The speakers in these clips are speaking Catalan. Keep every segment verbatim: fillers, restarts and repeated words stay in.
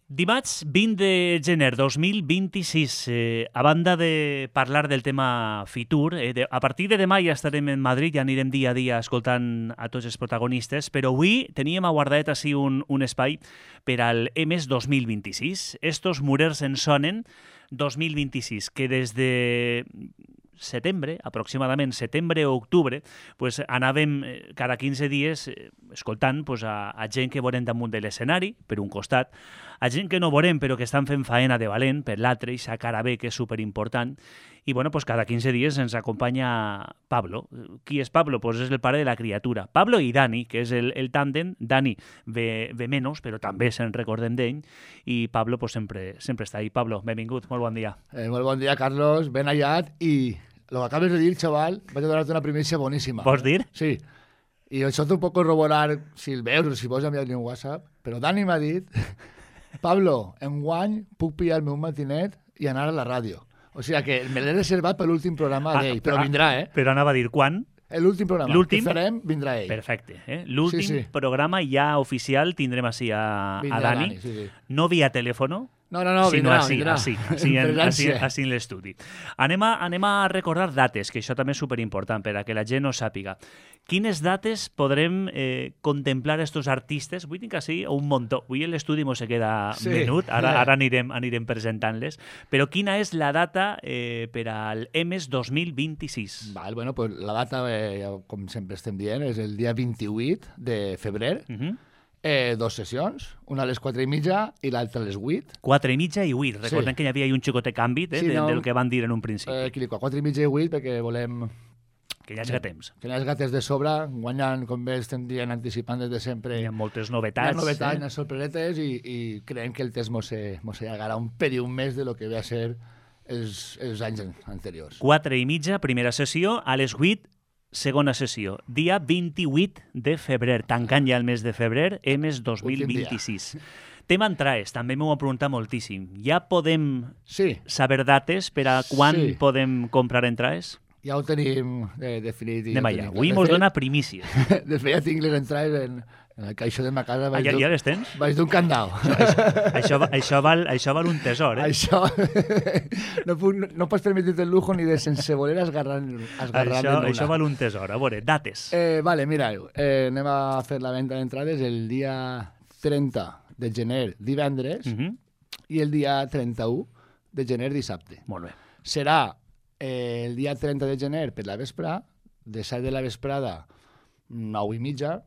Dimarts vint de gener dos mil vint-i-sis, eh, a banda de parlar del tema Fitur, eh, de, a partir de demà ja estarem en Madrid, ja anirem dia a dia escoltant a tots els protagonistes, però avui teníem aguardat així un, un espai per al E M E S dos mil vint-i-sis. Estos murers en sonen dos mil vint-i-sis, que des de setembre, aproximadament setembre o octubre, pues, anàvem cada quinze dies eh, escoltant pues, a, a gent que veurem damunt de l'escenari, per un costat, a gent que no veurem però que estan fent faena de valent, per l'altre, i sa cara B, que és superimportant. I bueno, pues, cada quinze dies ens acompanya Pablo. Qui és Pablo? Pues és el pare de la criatura. Pablo i Dani, que és el, el tàndem. Dani ve, ve menys, però també se'n recordem d'ell. I Pablo pues, sempre, sempre està ahí. Pablo, benvingut, molt bon dia. Eh, molt bon dia, Carlos, ben hallat. I lo que acabes de dir, chaval, vaig a donar-te una primícia boníssima. Vols dir? Sí. I això t'ho puc corroborar si el veus o si vols enviar-li un WhatsApp, però Dani m'ha dit: Pablo, enguany puc pillar el meu matinet i anar a la ràdio. O sigui que me l'he reservat per l'últim programa Ah, d'ell, però vindrà, eh? Però anava a dir quan? L'últim programa L'últim? que farem vindrà ell. Perfecte. Eh? L'últim Sí, sí. programa ja oficial tindrem així a, a Vindrà Dani. Dani, sí, sí. No via telèfono, No, no, no, sinó vindrà, així, vindrà. així, així, en, així, Presència. així en l'estudi. Anem a, anem a recordar dates, que això també és superimportant per a que la gent no sàpiga. Quines dates podrem eh, contemplar estos artistes? Vull dir que sí, un muntó. Avui l'estudi mos se queda Sí. menut, ara, ara anirem, anirem presentant-les. Però quina és la data eh, per al E M E S dos mil vint-i-sis? Val, bueno, pues la data, eh, com sempre estem dient, és el dia vint-i-vuit de febrer. Uh -huh. Eh, dos sessions, una a les quatre i mitja i l'altra a les vuit. Quatre i mitja i huit. Recordem Sí. que hi havia un xicotet canvi eh, Sí, de, no, del que van dir en un principi. Eh, aquí li dic, quatre i mitja i huit perquè volem que ja és temps. que les gates de sobre guanyen, com bé estem dient, anticipant des de sempre. Hi ha moltes Hi novetats. ha novetats, eh? unes sorpresetes i, i creiem que el test mos se, mos se allargarà un període més de lo que ve a ser els, els anys anteriors. Quatre i mitja, primera sessió, a les huit, segona sessió. Dia vint-i-vuit de febrer, tancant ja el mes de febrer, E M E S dos mil vint-i-sis. Tema entrades, també m'ho han preguntat moltíssim. Ja podem Sí, saber dates per a quan Sí. podem comprar entrades? ja ho tenim eh, definit. i Anem ja ho allà. tenim. Avui De mos fet- dona primícies. De fet, ja tinc les entrades en, en el caixó de ma casa. Ah, Vaig ja, dur- ja les tens? Vaig d'un candau. Això, va- això, val, això val un tesor, eh? Això no, puc, no, no pots permetre-te el lujo ni de sense voler esgarrar, esgarrar Això, l'una. això val un tesor. A veure, dates. Eh, vale, mira, eh, anem a fer la venda d'entrades el dia trenta de gener, divendres, Uh -huh. i el dia trenta-u de gener, dissabte. Molt bé. Serà eh, el dia trenta de gener per la vesprà, de set de la vesprada, nou i mitja,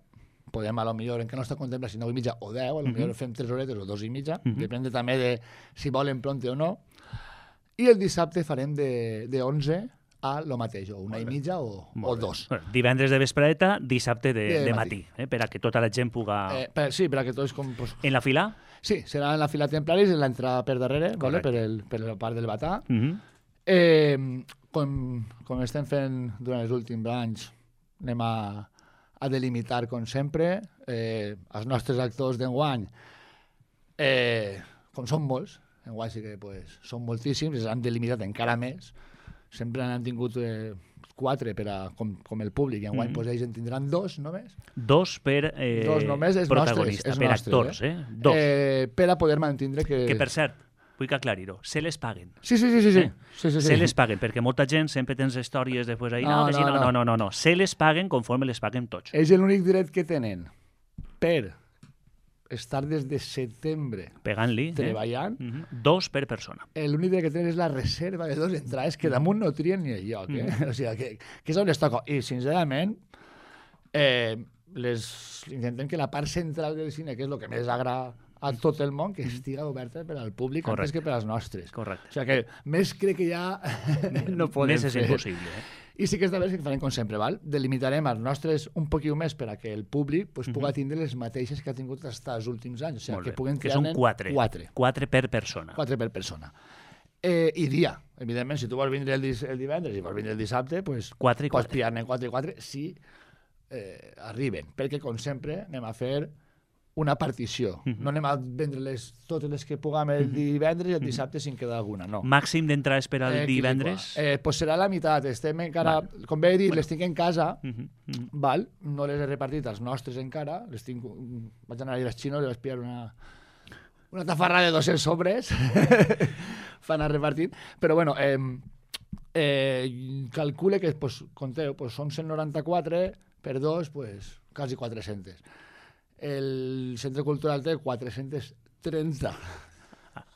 podem a lo millor, encara no està contemplat si nou i mitja o deu, a lo millor fem tres horetes o dos i mitja, Mhm. depèn també de si volen pronte o no. I el dissabte farem de, de onze a lo mateix, o una i mitja o, o Molt bé. dos. Bueno, divendres de vespreta, dissabte de, De de matí. matí, eh? per a que tota la gent puga... Eh, per, sí, per a que tots com... Pues, En la fila? sí, serà en la fila Templaris, en l'entrada per darrere, vale, Correcte. per, el, per la part del batà. Uh -huh. Eh, com, com estem fent durant els últims anys, anem a, a delimitar, com sempre, eh, els nostres actors d'enguany, eh, com són molts, enguany sí que pues, són moltíssims, els han delimitat encara més, sempre han tingut eh, quatre per a, com, com el públic, i enguany Mhm. pues, ells en tindran dos només, Dos per eh, dos només és protagonista, nostres, és per nostres, actors, eh? Dos. eh, per a poder mantindre que... Que, per cert, vull que aclarir-ho, se les paguen. Sí, sí, sí, sí, sí. Eh? sí, sí, sí. Se les paguen, perquè molta gent sempre tens històries després ahí, no, No, que sí, no, no, no, no. no, no, no, se les paguen conforme les paguen tots. És l'únic dret que tenen per estar des de setembre Pegant-li, eh? treballant. Mhm. Dos per persona. L'únic dret que tenen és la reserva de dos entrades que damunt no trien ni el lloc. Eh? Mm. O sigui, que, que és on es toca. I, sincerament, eh, les, intentem que la part central del cine, que és el que més agrada a tot el món, que estiga oberta per al públic Correcte. antes que per als nostres. Correcte. O sigui que més crec que ja no podem Més és fer. impossible. Eh? I sí que esta vegada que farem com sempre, val? Delimitarem els nostres un poquiu més per a que el públic pues, pugui tindre les mateixes que ha tingut fins als últims anys. O sigui, Molt que bé. puguen Que triar són quatre. Quatre. Quatre per persona. Quatre per persona. Eh, I dia. Evidentment, si tu vols vindre el, dis el divendres i vols vindre el dissabte, pues, Quatre i pots quatre. pillar-ne quatre i quatre si eh, arriben. Perquè, com sempre, anem a fer una partició. Mhm. No anem a vendre-les totes les que puguem el divendres i el dissabte si en queda alguna, no. Màxim d'entrades per al Eh, aquí divendres? Eh, pues serà la meitat. Estem encara... Val. Com bé he dit, les tinc en casa, Mhm, mhm. val? No les he repartit als nostres encara. Les tinc... Vaig anar a les xinos i vaig pillar una, una tafarra de dos-cents sobres fan anar repartint. Però bueno, eh, eh, calcule que, pues, conteu, pues, són cent noranta-quatre per dos, pues, quasi quatre-cents. El Centre Cultural té quatre-cents trenta.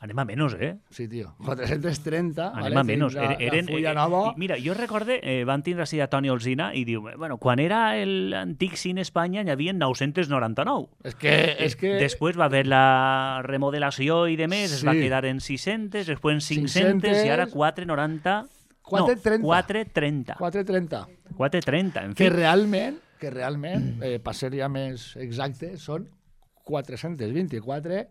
Anem a menys, eh? Sí, tio. quatre-cents trenta. Anem vale, a menys. la, Eren, la fulla eh, nova. Mira, jo recorde, eh, van tindre així a Toni Olsina i diu, bueno, quan era l'antic Cine Espanya n'hi havia nou-cents noranta-nou. És que... És que... Després va haver la remodelació i de més, sí. Es va quedar en sis-cents, després en cinc-cents i ara quatre noranta... quatre trenta. No, quatre trenta. quatre trenta. quatre trenta, en fi. Que realment, que realment eh, per ser ja més exacte, són quatre-cents vint-i-quatre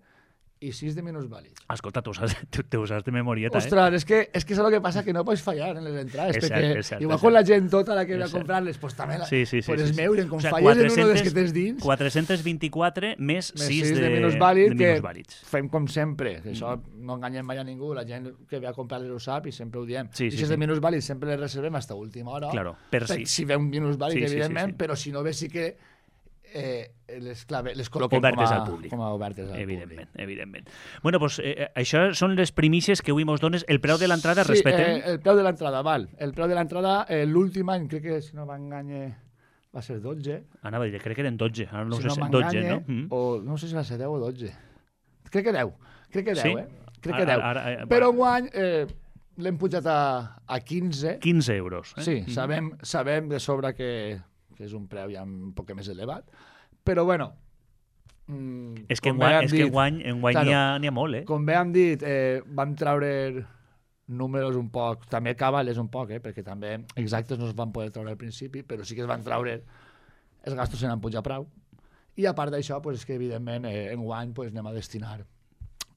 i sis de minusvàlids. Escolta, tu saps, tu, tu saps de memorieta, Ostres, eh? és que, és que és el que passa, que no pots fallar en les entrades, és perquè cert, és cert, igual és quan cert. la gent tota la que ve a comprar-les, pues també la, sí, sí, sí, pues sí, es sí. meuren, com O sea, falles en uno dels que tens dins... quatre-cents vint-i-quatre més sis de, de minusvàlids, de que minusvàlids. fem com sempre, que això no enganyem mai a ningú, la gent que ve a comprar-les ho sap i sempre ho diem. Sí, I sí, si és sí. de minusvàlids sempre les reservem fins a última hora, Claro, per si. si ve un minusvàlid, Sí, sí, sí, evidentment, sí. però si no ve sí que eh, les, clave, les col·loquem Obertes com a, al públic. com a obertes al Evidentment, públic. evidentment. Bueno, doncs eh, això són les primícies que avui mos dones. El preu de l'entrada, Sí, respetem? eh, el preu de l'entrada, val. El preu de l'entrada, eh, l'últim any, crec que si no m'enganye, va ser dotze. Anava a dir, crec que eren dotze, ara no si sé no si dotze, m'enganye, no? Mm. o no sé si va ser deu o dotze. Crec que deu, crec que deu, Sí? eh? Crec que Ara- deu. ara- ara- Però enguany eh, l'hem pujat a, a quinze. quinze euros. Eh? Sí, Mm. sabem, sabem de sobre que, que és un preu ja un poc més elevat, però bueno... Mm, És que com bé enguany, hem és que dit- enguany, enguany Claro. n'hi ha, n'hi ha molt, eh? Com bé hem dit, eh, vam treure números un poc, també cabales un poc, eh, perquè també exactes no es van poder treure al principi, però sí que es van treure, els gastos se n'han pujat prou. I a part d'això, pues, és que evidentment eh, enguany pues, anem a destinar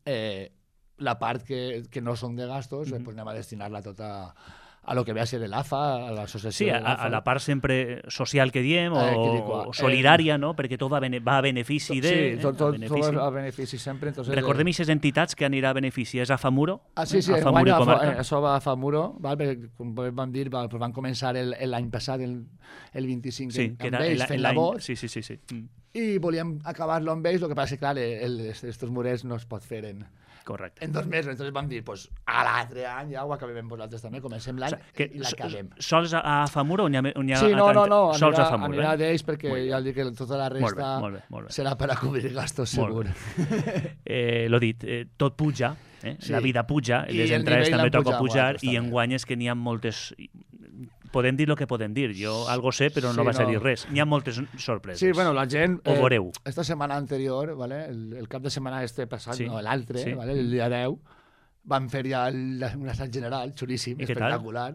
eh, la part que, que no són de gastos, eh, pues, anem a destinar-la tota a lo que ve a ser l'A F A, a l'associació Sí, de a, l'A F A. a la part sempre social que diem, o, Eh, que dic, o solidària, no? Perquè tot va, bene, va a benefici de... Sí, tot, eh? tot, a benefici. tot a benefici sempre. Entonces, Recordem eh, aquestes entitats que anirà a benefici. És a Famuro? Ah, sí, sí, a enguany Famuro i a Fa- comarca? eh, això va a Famuro, val? Perquè, com vam dir, va, pues van començar el- el- l'any passat, el, el vint-i-cinc, Sí, amb que era ells, el- fent la l'any... voz, Sí, sí, sí. sí. Mm. i volíem acabar-lo amb ells, el que passa és que, clar, aquests murets no es pot fer en, Correcte. en dos mesos, entonces vam dir, pues, a l'altre any ja ho acabem amb vosaltres també, comencem l'any O sigui, que i l'acabem. sols a, a Famuro o n'hi ha, o n'hi ha Sí, no, a, no, no, sols anirà, a Famuro, anirà eh? d'ells perquè Molt bé. ja dic que tota la Molt bé, resta molt bé, molt bé. serà per a cobrir gastos, Molt segur. bé. Eh, L'ho dit, eh, tot puja, eh? Sí. La vida puja, I les el entrades nivell també l'han toca pujat pujar vosaltres, i també. enguany és que n'hi ha moltes... Podem dir el que podem dir. Jo algo sé, però no Sí, vas a no. dir res. N'hi ha moltes sorpreses. Sí, bueno, la gent... Ho veureu. Esta setmana anterior, ¿vale? el, el cap de setmana este passat, Sí, no, l'altre, sí. ¿vale? el dia deu, van fer ja el, un assaig general, xulíssim, I què tal? espectacular.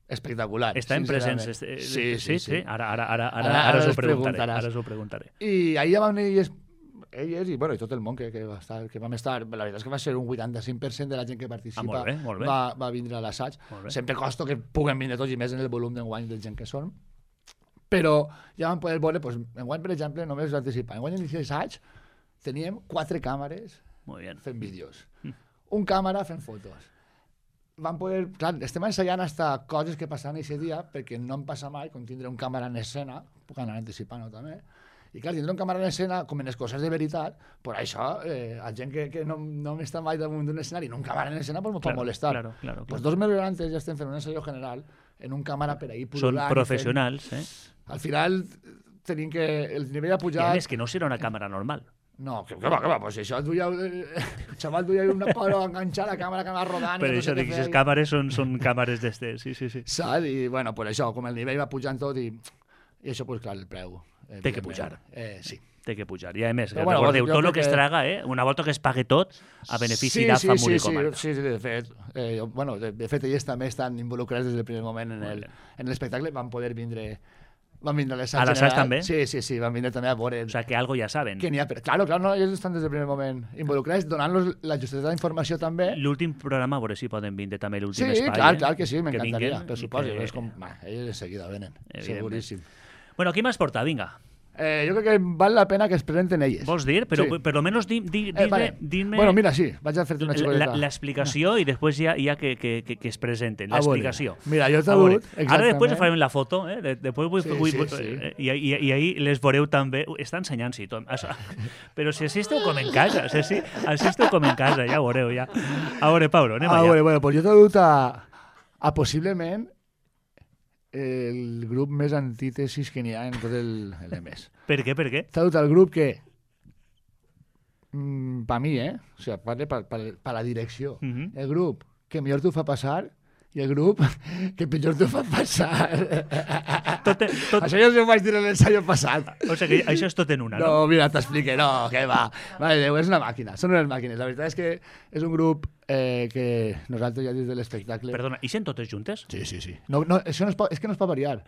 Espectacular. Està en sincerament. presents. eh, Sí, sí, sí. Ara, ara, ara, ara, Ara- ara, ara us ho us preguntaré. preguntaràs. Ara us ho preguntaré. I ahir ja van venir elles, elles i, bueno, i tot el món que, que, va estar, que vam estar, la veritat és que va ser un vuitanta-cinc per cent de la gent que participa Ah, molt bé, molt bé. Va, va vindre a l'assaig. Molt bé. Sempre costa que puguen vindre tots i més en el volum d'enguany de gent que són. Però ja vam poder veure, doncs, enguany, per exemple, només anticipar. Enguany, en l'assaig, teníem quatre càmeres Molt bé. fent vídeos. Un càmera fent fotos. Vam poder... Clar, estem ensaiant hasta coses que passaran aquest dia, perquè no em passa mai, com tindre un càmera en escena, puc anar anticipant-ho també, i clar, tindre un càmera en escena, com en les coses de veritat, per això, eh, a gent que, que no, no m'està mai damunt d'un escenari, en un càmera en escena, pues me pot Claro, molestar. claro, claro, Pues claro. dos mesos antes ja estem fent un ensayo general en un càmera per ahir Són pululant i fent- professionals, eh? Al final tenim que... El nivell ha I a pujat... més, que no serà una càmera normal. No, que, que va, que va, pues això duia... El xaval duia una palo enganxada, la càmera que anava rodant... Per i no això sé què dic, les feia. càmeres són, són càmeres d'estes, sí, sí, sí. Saps? I, bueno, pues això, com el nivell va pujant tot i, i això, pues clar, el preu. Té que evidentment. pujar. Eh, sí. Té que pujar. I a més, Però, bueno, bueno, recordeu, jo tot el crec que es que- traga, eh? Una volta que es pague tot, a benefici sí, de sí, Famuro sí, i sí, comarca. sí, sí, de fet, eh, jo- bueno, de, de fet, ells també estan involucrats des del primer moment en Molt el- bé. en l'espectacle, van poder vindre... Van vindre a l'assaig A l'assaig general. també? Sí, sí, sí, van vindre també a veure... O sea, que algo ja saben. que n'hi ha, però, claro, claro, no, ells estan des del primer moment involucrats, donant-los la justeta d'informació també. L'últim programa, a veure si poden vindre també Sí, l'últim espai. clar, eh? clar que sí, m'encantaria, vinguen per i suposo. que- És com, bah, ells de seguida venen, Evidentment. seguríssim. Bueno, qui m'has portat? Vinga. Eh, jo crec que val la pena que es presenten elles. Vols dir? Però Sí. per almenys di, di, Eh, dime, vale. dime Bueno, mira, sí, vaig a fer-te una la- xicoteta. l'explicació i després ja, ja que, que, que, que es presenten. A veure, L'explicació. mira, jo t'he A veure, dut, Ara exactament. després farem la foto, eh? De, després vull, Sí, vull, sí, vull, sí. eh, I, i, I ahir les veureu també. Ui, està ensenyant, sí, Tom. Això. Però si així esteu com en casa, si així, així esteu com en casa, ja ho veureu, ja. A veure, Pablo, anem Ah, allà. bueno, bueno, pues jo t'he dut a, a possiblement el grup més antítesis que n'hi ha en tot el, el M S. Per què, per què? T'ha dut al grup que, mm, per mi, eh? O sigui, parle per, per, per la direcció. Uh -huh. El grup que millor t'ho fa passar i el grup que pitjor t'ho fa passar. Tot, tot, Això ja us ho vaig dir en l'ensaio passat. o sigui, això és tot en una, no? No, mira, t'explique, no, que va. Vale, Déu, és una màquina, són unes màquines. La veritat és que és un grup eh, que nosaltres ja des de l'espectacle... Perdona, i sent totes juntes? Sí, sí, sí. No, no, això no es pot, és que no es pot variar.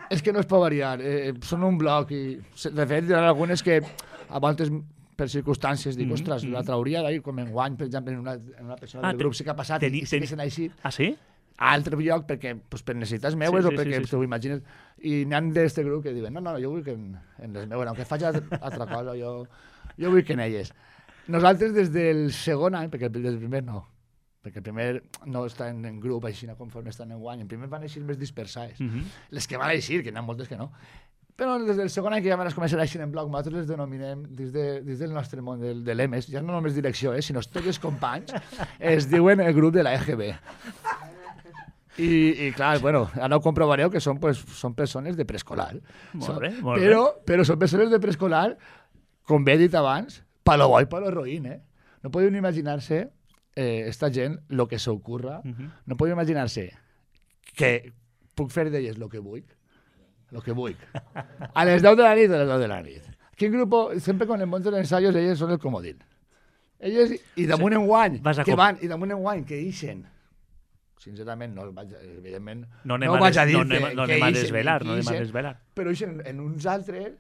És que no es pot variar. Eh, són un bloc i, de fet, hi ha algunes que a voltes per circumstàncies dic, Mhm, ostres, mhm. la trauria d'ahir, com en guany, per exemple, en una, en una persona Ah, del te- grup sí que ha passat teni- i sí que teni- se n'ha eixit Ah, sí? a altre lloc perquè, pues, per necessitats meues Sí, o sí, perquè sí, sí, t'ho imagines. I n'hi ha d'este grup que diuen, no, no, jo vull que en, en les meues, aunque faig altra cosa, jo, jo vull que en elles. Nosaltres des del segon any, perquè des del primer no, perquè el primer no està en, en grup així conforme estan en guany, en primer van eixir més dispersades. Uh -huh. Les que van eixir, que n'hi ha moltes que no. Però des del segon any que ja van començar a eixir en bloc, nosaltres les denominem, dins, de, dins del nostre món del, de l'E M E S, ja no només direcció, eh, sinó tots els companys, es diuen el grup de la E G B. I, i clar, bueno, ara ho comprovareu que són, pues, són persones de preescolar. Molt bé, molt però, però són persones de preescolar, com bé he dit abans, palo bo i palo roïn, eh? No podeu ni imaginar-se eh, esta gent lo que s'ocurra, Uh -huh. no podeu imaginar-se que puc fer d'elles lo que vull, lo que vull. A les deu de la nit, a les deu de la nit. Quin grup, sempre quan em munten ensayos, elles són el comodín. Elles, i damunt en guany, Vas a que com- van, i damunt en guany, que ixen. Sincerament, no, vaig, evidentment, No anem no a, vaig des, a dir no anem, que- no que anem a ixen, desvelar, que no anem a ixen. desvelar. però ixen en uns altres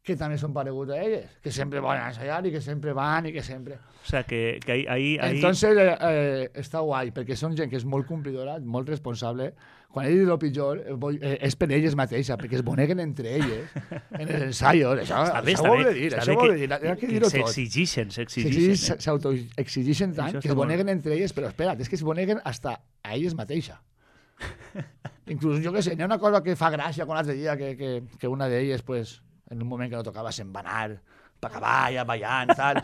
que també són pareguts a elles, que sempre van a ensayar i que sempre van i que sempre... O sea, que, que ahí, ahí, ahí... Entonces, eh, eh, està guai, perquè són gent que és molt complidora, molt responsable. Quan he dit el pitjor, eh, vull- eh, és per elles mateixa, perquè es boneguen entre elles en els ensaios. Això, Està bé, això està ho bé. he de dir, està això bé ho he de que, dir. Hi ha que que dir-ho tot. s'exigixen, s'exigixen. S'exigixen- Eh? S'autoexigixen tant Això que està es molt boneguen entre elles, però espera't, és que es boneguen hasta a elles mateixa. Inclús, jo què sé, n'hi ha una cosa que fa gràcia com l'altre dia, que, que, que una d'elles, pues, en un moment que no tocava, se'n va anar per acabar, ja ballant, tal.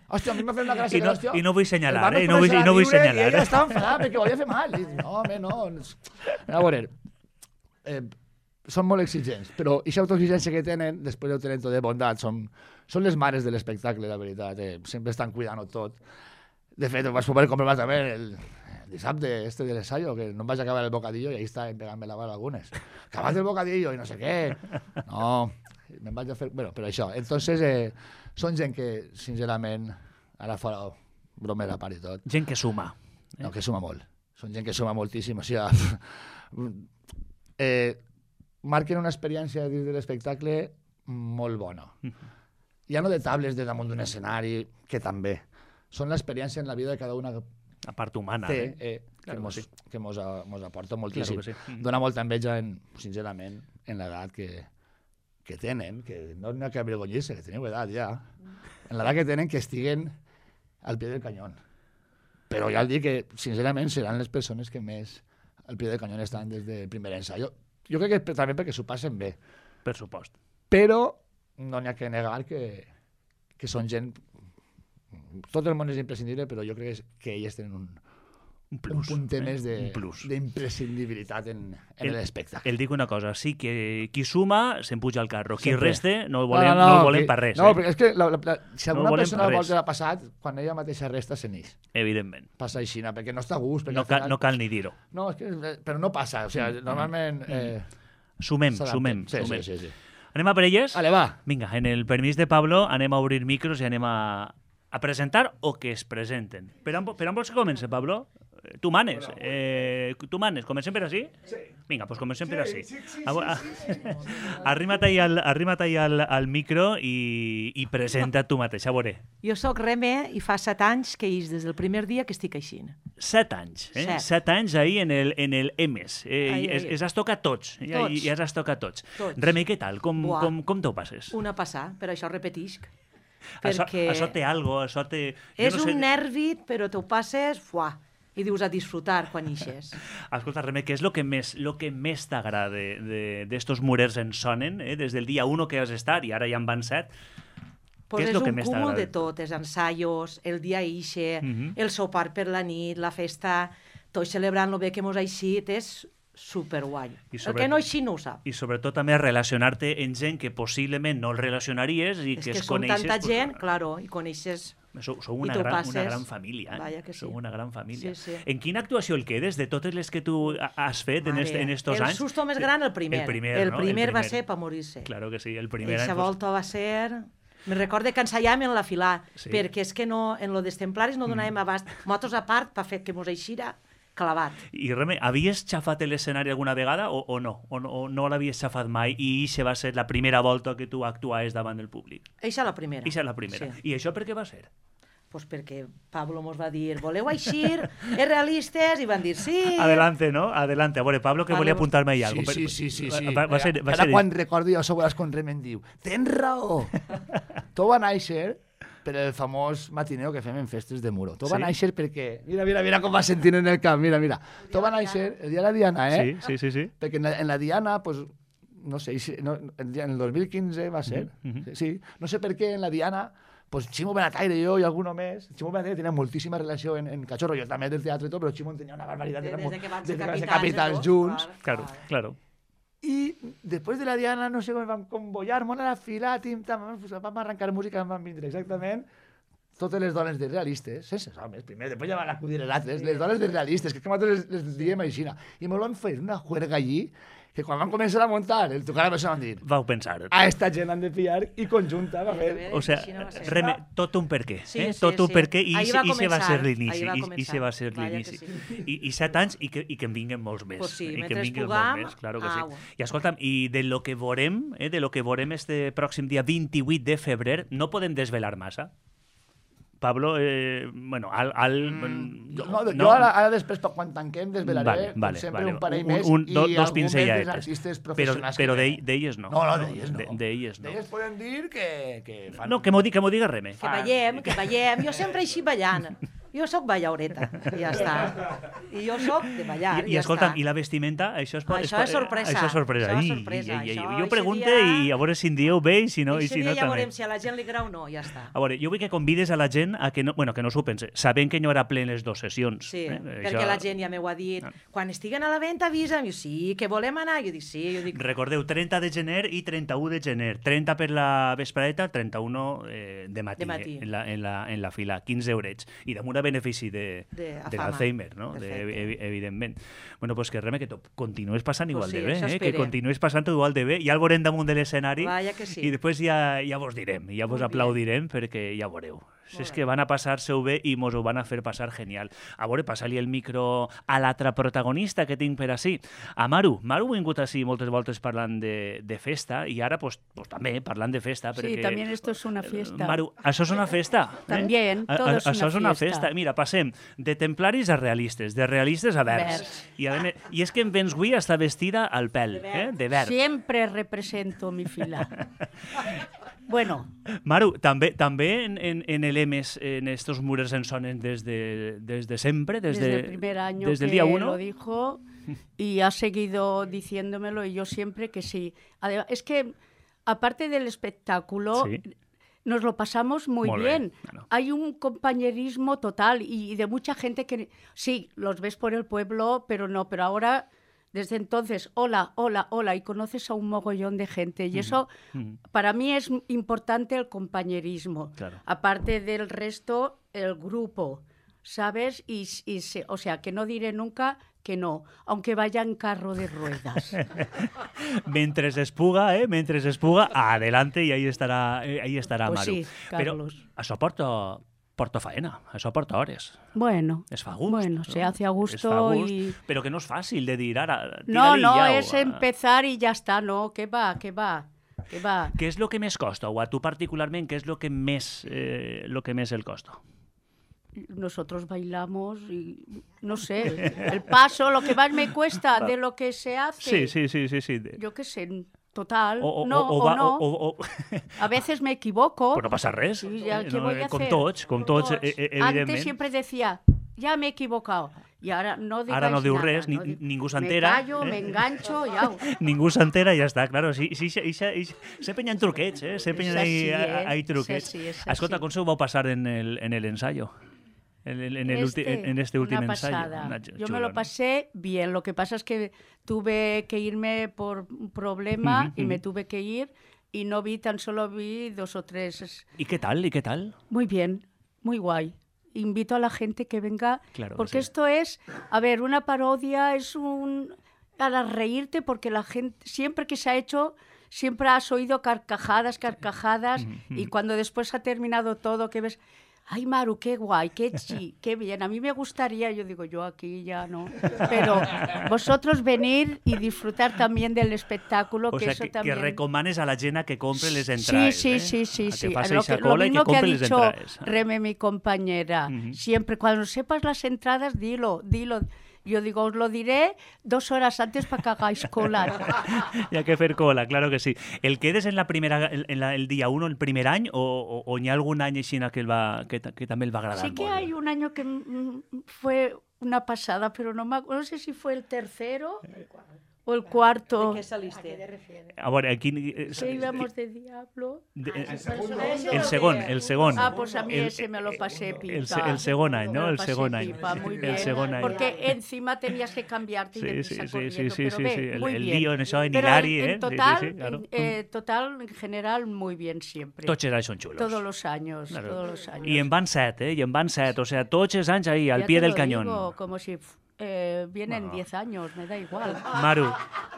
Hòstia, a mi m'ha fet una gràcia. I no, que, hòstia, i no vull el senyalar, vam eh? I no vull, començar i no a vull riure senyalar. I ella Eh? estava enfadada perquè volia fer mal. I dic, no, home, no. A veure, eh, són molt exigents, però aquesta autoexigència que tenen, després ho tenen tot de bondat, són, són les mares de l'espectacle, la veritat. Eh? Sempre estan cuidant-ho tot. De fet, ho vas poder comprovar també el, el dissabte este de l'ensayo, que no em vaig acabar el bocadillo i ahí estaven pegant-me la bala algunes. Acabat el bocadillo i no sé què. No, me'n vaig a fer... Bueno, però això. Entonces, eh, són gent que, sincerament, ara fora bromera a part i tot, Gent que suma. Eh? no, que suma molt. Són gent que suma moltíssim. O sigui, eh, marquen una experiència dins de l'espectacle molt bona. Ja no de tables de damunt d'un escenari, que també. Són l'experiència en la vida de cada una La part humana. té, Eh? eh, que, Claro mos, que sí. que mos, a- mos aporta Claro moltíssim. que sí. Mm. Dona molta enveja, en, sincerament, en l'edat que, que tenen, que no n'hi ha que avergonyir-se, que teniu edat ja, en l'edat que tenen que estiguen al pie del canyón. Però ja el dic que, sincerament, seran les persones que més al pie del canyón estan des del primer ensayo. Jo crec que per- també perquè s'ho passen bé. Per supost. Però no n'hi ha que negar que, que són gent... Tot el món és imprescindible, però jo crec que, és, que elles tenen un, Un un plus. puntet eh? més de- Un plus. d'imprescindibilitat en, en El- l'espectacle. El dic una cosa, sí que qui suma se'n puja al carro, qui Sempre. reste no el volem, no, no, el volem que- per res. No, eh? perquè és que la, la, la, si No alguna volem persona per vol res. que l'ha passat, quan ella mateixa resta, se n'ix. Evidentment. Passa així, perquè no està a gust. perquè No al cal, final- no cal ni dir-ho. No, és que, eh, però no passa. O sigui, normalment... Eh, Sumem, s'adapten. sumem, sí, sumem. Sí, sí, sí. Anem a per elles? Vale, va. Vinga, en el permís de Pablo anem a obrir micros i anem a, a presentar o que es presenten. Per on, per on vols que comenci, Pablo? tu manes. Eh, tu manes. Comencem per així? Sí. Vinga, doncs comencem per així. Sí, sí, sí, sí, sí, sí. Arrima't ahí al, arrima't ahí al, al micro i, i presenta't tu mateix, a veure. Jo sóc Reme i fa set anys que és des del primer dia que estic així. Set anys, eh? Set, set anys ahí en el, en el E M E S. Eh, ai, ai. Es, es has tocat tots. tots. Ja, ja has tocat tots. tots. Reme, què tal? Com, com, com t'ho passes? Una passar, per això repetisc. Perquè... Això, això té algo, això té... És no sé... un nervi, però t'ho passes, fuà, i dius a disfrutar quan ixes. Escolta, Reme, què és el que més, lo que més t'agrada d'estos murers en sonen, eh? Des del dia uno que has estat, i ara ja en van set, pues què és, és el que un més cúmul t'agrada? de tot, els ensaios, el dia ixe, uh -huh. el sopar per la nit, la festa, tots celebrant lo bé que mos ha eixit, és superguai. El que no així no ho sap. I sobretot també relacionar-te amb gent que possiblement no el relacionaries i és que, que es coneixes... És que són tanta pues, gent, claro, i coneixes... Sou, sou una, gran, una gran família, eh? Vaya que sí. Sou una gran família. Sí, sí. En quina actuació el quedes de totes les que tu has fet Mare, en, est, en estos el anys? El susto més gran, el primer. El primer, el no? primer, el primer va ser per morir-se. Claro que sí, el primer Eixa any... volta va ser... Me recorde que ensaiàvem en la filà, sí. perquè és que no, en lo dels templaris no donàvem mm. abast. Motos a part, per fer que mos eixira clavat. I Reme, havies xafat l'escenari alguna vegada o, o no? O no, o no l'havies xafat mai i eixa va ser la primera volta que tu actuaves davant del públic? Eixa la primera. Eixa la primera. Sí. I això per què va ser? Pues perquè Pablo mos va dir, voleu eixir, és realistes, i van dir sí. Adelante, no? Adelante. A veure, Pablo, que vale, volia apuntar-me ahí algo. Sí, sí, sí. sí, sí. Va, va ser, va Ara ser... quan recordo jo sobre les con Rem em diu, tens raó. Tot va néixer per el famós matineo que fem en festes de Muro. Tot sí? va néixer perquè... Mira, mira, mira com va sentint en el camp, mira, mira. Tot va néixer el dia de la Diana, eh? Sí, sí, sí. sí. Perquè en la, en la Diana, pues, no sé, no, en el dos mil quinze va ser, uh -huh. sí. No sé per què en la Diana... Pues Ximo Benataire i jo i alguno més. Ximo Benataire tenia moltíssima relació en, en Cachorro, jo també del teatre i tot, però Ximo tenia una barbaritat. Des, des de que van ser capitals, capitals junts. Claro, claro. I després de la Diana, no sé com van convollar, mona la fila, tim, tam, vam arrencar música, vam vindre exactament totes les dones de realistes, sense homes, primer, després ja van acudir els altres, les dones de realistes, que és que nosaltres les, les diem així. I me lo han fet una juerga allí, que quan van començar a muntar el tocar a persona van dir vau pensar a esta gent han de pillar i conjunta va fer. O sea, Reme, tot un per què sí, eh? sí, tot un sí. per què i se va ser l'inici i se va ser Vaya l'inici sí. I, i set anys i que, i que en vinguen molts més pues sí, i que en mentre vinguen pugam, molts més, claro que sí. au. I escolta'm, i de lo que veurem eh, de lo que veurem este pròxim dia vint-i-vuit de febrer no podem desvelar massa. Pablo, eh, bueno, al... al mm, no, no, jo ara, ara després, quan tanquem, desvelaré vale, vale, sempre vale. un parell un, més un, i do, dos algun més dels artistes artistes però, professionals. però que d'elles no. No, no, d'elles no. D'elles no. D'elles poden dir que... que fan... No, que m'ho diga, diga Reme. Que ballem, que ballem. Jo sempre així ballant. Jo sóc ballaureta, i ja està. I jo sóc de ballar, I, i ja escolta'm, està. i la vestimenta? Això és, això és sorpresa. Això és sorpresa. Això és I, sorpresa. I, i, i, Això, jo pregunte dia... i a veure si en dieu bé i si no, i si no ja també. veurem si a la gent li agrada o no, ja està. A veure, jo vull que convides a la gent a que no, bueno, que no s'ho pense, sabent que no era ple les dues sessions. Sí, eh? perquè això... la gent ja m'ho ha dit. Quan estiguen a la venda avisa'm. Jo, sí, que volem anar. Jo dic, sí. Jo dic... Recordeu, trenta de gener i trenta-u de gener. trenta per la vespreta, trenta-u eh, de matí, de matí. Eh, en, la, en, la, en la fila, quinze eurets. I damunt a benefici de, de, de l'Alzheimer, no? De, ev evidentment. Bueno, pues que Reme, que continues passant igual pues sí, de bé, eh? que continues passant igual de bé. Ja el veurem damunt de l'escenari sí. i després ja, ja vos direm, ja vos aplaudirem perquè ja veureu. Si és que van a passar-se-ho bé i mos ho van a fer passar genial. A veure, passa-li el micro a l'altra protagonista que tinc per ací, a Maru. Maru ha vingut ací moltes voltes parlant de, de festa i ara pues, pues, també parlant de festa. Sí, perquè, també esto es una fiesta. Maru, això és una festa? També, eh? todo es una Això és una fiesta. festa. Mira, passem de templaris a realistes, de realistes a verds. Verds. I, a més, I és que en vens avui està vestida al pèl, eh? De verd. Siempre represento mi fila. Bueno. Maru, també, també en, en, en el E M E S, en estos mures en sonen desde, desde siempre, desde, desde el primer año desde el que día uno. Lo dijo y ha seguido diciéndomelo y yo siempre que sí. Además, es que aparte del espectáculo, sí. nos lo pasamos muy, muy bien. bien. Bueno. Hay un compañerismo total y, y de mucha gente que sí, los ves por el pueblo, pero no, pero ahora... Desde entonces, hola, hola, hola, y conoces a un mogollón de gente. Y eso, uh-huh. para mí es importante el compañerismo. Claro. Aparte del resto, el grupo, ¿sabes? Y, y se, o sea, que no diré nunca que no, aunque vaya en carro de ruedas. Mientras espuga, ¿eh? Mientras espuga, adelante y ahí estará, eh, ahí estará pues Maru. Sí, Carlos. Però això porta... porta faena, això porta hores. Bueno, es fa a gust. Bueno, se hace a gusto. A gust, y... Pero que no es fácil de dir ara... No, no, es empezar y ya está, no, que va, que va. Que va. Què és el que més costa? O a tu particularment, què és el que més, eh, lo que més el costa? Nosotros bailamos y, no sé, el paso, lo que más me cuesta de lo que se hace. Sí, sí, sí, sí. sí. Yo qué sé, total, o, o, no o, o, va, no. O, o, a veces me equivoco. Però no passa res. Sí, ya, ¿qué no, voy a con hacer? Tots, con tots, eh, evidentment. Antes siempre decía, ya me he equivocado. Y ahora no digáis Ara no diu nada, res, no ni, dic... ningú s'entera. Me callo, me engancho, ya. Ningú s'entera i ja està, claro. Sí, sí, sí, sí, sempre hi ha truquets, eh? Sempre hi ha eh? hay truquets. Sí, sí, Escolta, com se ho vau passar en el, en el ensayo? En, el, en, el este, en este último una ensayo. Una chulo, Yo me lo pasé ¿no? bien. Lo que pasa es que tuve que irme por un problema uh-huh, y uh-huh. me tuve que ir y no vi, tan solo vi dos o tres. ¿Y qué tal? ¿Y qué tal? Muy bien, muy guay. Invito a la gente que venga, claro porque que sí. esto es, a ver, una parodia es un... para reírte, porque la gente, siempre que se ha hecho, siempre has oído carcajadas, carcajadas, y cuando después ha terminado todo, que ves... Ay, Maru, qué guay, qué chi, qué bien. A mí me gustaría, yo digo, yo aquí ya no. Pero vosotros venir y disfrutar también del espectáculo, o que sea, eso que, también... que recomanes a la gent que compre les entrades. Sí, sí, eh? sí, sí. A sí. que faci Lo, esa que, cola lo y que mismo que ha compre les dicho entrades. Reme, mi compañera. Uh-huh. Siempre, cuando sepas las entradas, dilo, dilo. Yo digo, os lo diré dos horas antes para que hagáis cola. Hi ha que fer cola, claro que sí. El quedes en la primera, en la, el día uno, el primer any, o, o, o hi ha algun any així que, el va, que, que també el va agradar sí molt? Sí que hay un año que fue una pasada, pero no, me, no sé si fue el tercero o el cuarto. ¿De qué saliste? A veure, aquí... Eh, ¿Qué íbamos de Diablo? De, eh, el, el segon, el segon. Ah, pues a mí el, ese me lo pasé pipa. El, el, el segon any, ¿no? El segon any. Pipa, muy bien. El segon any. Porque encima tenías que cambiarte y sí, de sí, prisa sí, corriendo, sí, sí, pero sí, ve, sí. muy el, bien. el lío en això, en pero Hilari, en, ¿eh? En total, sí, sí, sí, claro. en, eh, total, en general, muy bien siempre. Tots els anys són xulos. Todos los años, claro. Todos los años. I en van set, eh? I en van set, o sea, tots els anys ahí, al ya pie del digo, cañón. Como si eh, vienen diez bueno. años, me da igual. Maru,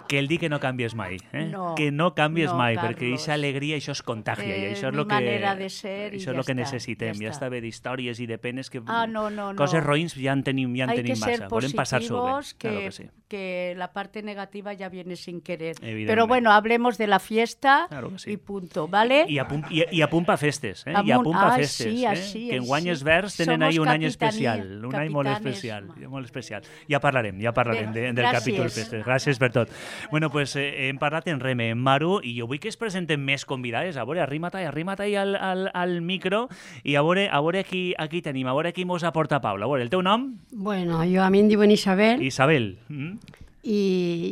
que el di que no canvies mai, eh? No, que no canvies no, mai, Carlos. perquè aquesta alegria, això es contagia, eh, i això és el que, manera de ser això és ja el que està, necessitem, ja, ja està bé d'històries i de penes que ah, no, no, coses no. roïns ja en tenim, ja en Hay tenim que massa, ser volem passar-s'ho bé. Que, claro que, sí. que la parte negativa ya viene sin querer. Pero bueno, hablemos de la fiesta claro que sí. y punto, ¿vale? I a punt, i, i a punt pa festes, eh? Amunt, I a punt pa ah, festes, sí, eh? així, que en així. guany els verds tenen ahí un any especial, un any molt capitanes, especial, molt especial. Ja parlarem, ja parlarem de, del gràcies. capítol festes. Gràcies per tot. Bueno, pues eh, hem parlat en Reme, en Maru, i jo vull que es presenten més convidades. A veure, arrima't ahí, arrima't ahí al, al, al micro i a veure, a veure aquí, aquí tenim, a veure qui mos aporta Paula. A veure, el teu nom? Bueno, jo a mi em diuen Isabel. Isabel. Mm? I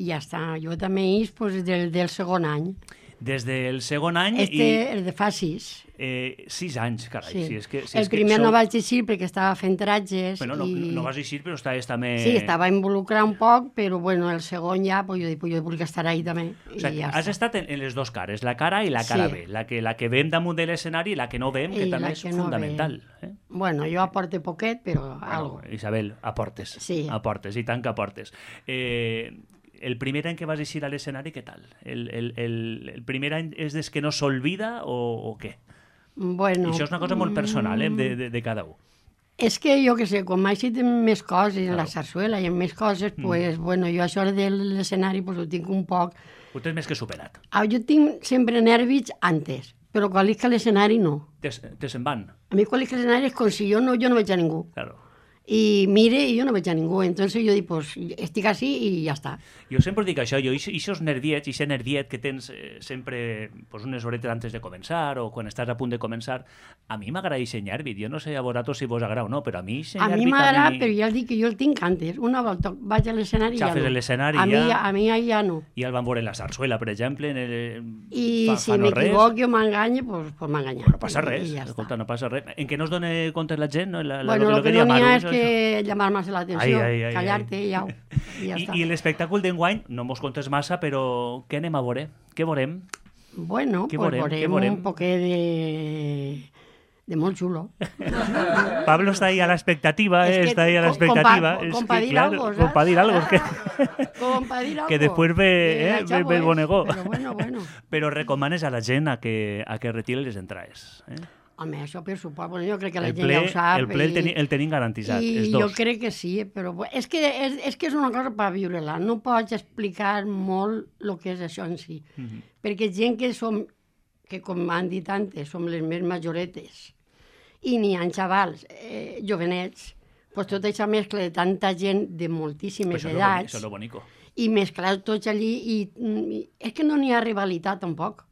ja està. Jo també és pues, del, del segon any. Des del segon any... Este, i... el de fa sis. Eh, sis anys, carai. Sí. Si és que, si el és primer que no sou... vaig eixir perquè estava fent tratges. Bueno, no, i... no vas eixir, però estaves també... Sí, estava involucrat un poc, però bueno, el segon ja, pues, jo dic, pues, jo vull estar ahí també. O sigui, ja has està. estat en, en les dues cares, la cara i la cara sí. B. La que, la que vem damunt de l'escenari i la que no vem, que I també és no fundamental. Eh? Bueno, jo aporte poquet, però bueno, algo. Isabel, aportes. Sí. Aportes, i tant que aportes. Eh, el primer any que vas eixir a l'escenari, què tal? El, el, el, el primer any és des que no s'olvida o, o què? Bueno, I això és una cosa molt personal, eh, de, de, de cada un. És que jo que sé, quan m'ha eixit en més coses, en la sarsuela i en més coses, mm. pues, bueno, jo això de l'escenari pues, ho tinc un poc... Ho tens més que superat. Ah, jo tinc sempre nervis antes, però quan estic a l'escenari no. Te, te se'n van. A mi quan estic a l'escenari és com si jo no, jo no veig a ningú. Claro. I mire i jo no veig a ningú, entonces jo dic, pues, estic així i ja està. Jo sempre dic això, jo, ixos nerviets, ixe nerviet que tens eh, sempre pues, unes horetes antes de començar o quan estàs a punt de començar, a mi m'agrada ixe nervit, jo no sé a vosaltres si vos agrada o no, però a mi ixe a nervit... Mi m'agrada, mi... però ja dic que jo el tinc antes, una volta vaig a l'escenari i ja no. l'escenari a ja... Mi, a mi ja no. I el van veure en la sarsuela, per exemple, en el... I fa, si fa no m'equivoco o m'enganye, pues, pues m'enganyar. No passa res, ja escolta, no passa res. En què no es dona compte la gent? No? La, la, bueno, lo, lo que, que no n'hi ha és Maru, que llamar más la atenció, callar-te i ja, i ja I, està. I l'espectacle d'enguany, no mos contes massa, però què anem a veure? Què veurem? Bueno, què pues veurem? veurem un poquet de... de molt xulo. Pablo está ahí a la expectativa, es eh, que está ahí a la con, expectativa. Con, es con que, para dir claro, algo, ¿sabes? con para dir algo. Que, con para dir algo. Que después ve, eh, ve, ve el bonegó. Pero bueno, bueno. Pero recomanes a la gent a que, a que retire les entrades. Eh? Home, això per supost, bueno, jo crec que la el gent ple, ja ho sap. El ple el, teni, el tenim garantitzat, i els dos. Jo crec que sí, però és que és, és, que és una cosa per viure-la. No pots explicar molt el que és això en si. Mm-hmm. Perquè gent que som, que com han dit antes, som les més majoretes, i n'hi ha xavals eh, jovenets, pues tot això mescla de tanta gent de moltíssimes pues edats, això és lo bonico. I mesclar tots allí, i, i és que no n'hi ha rivalitat tampoc.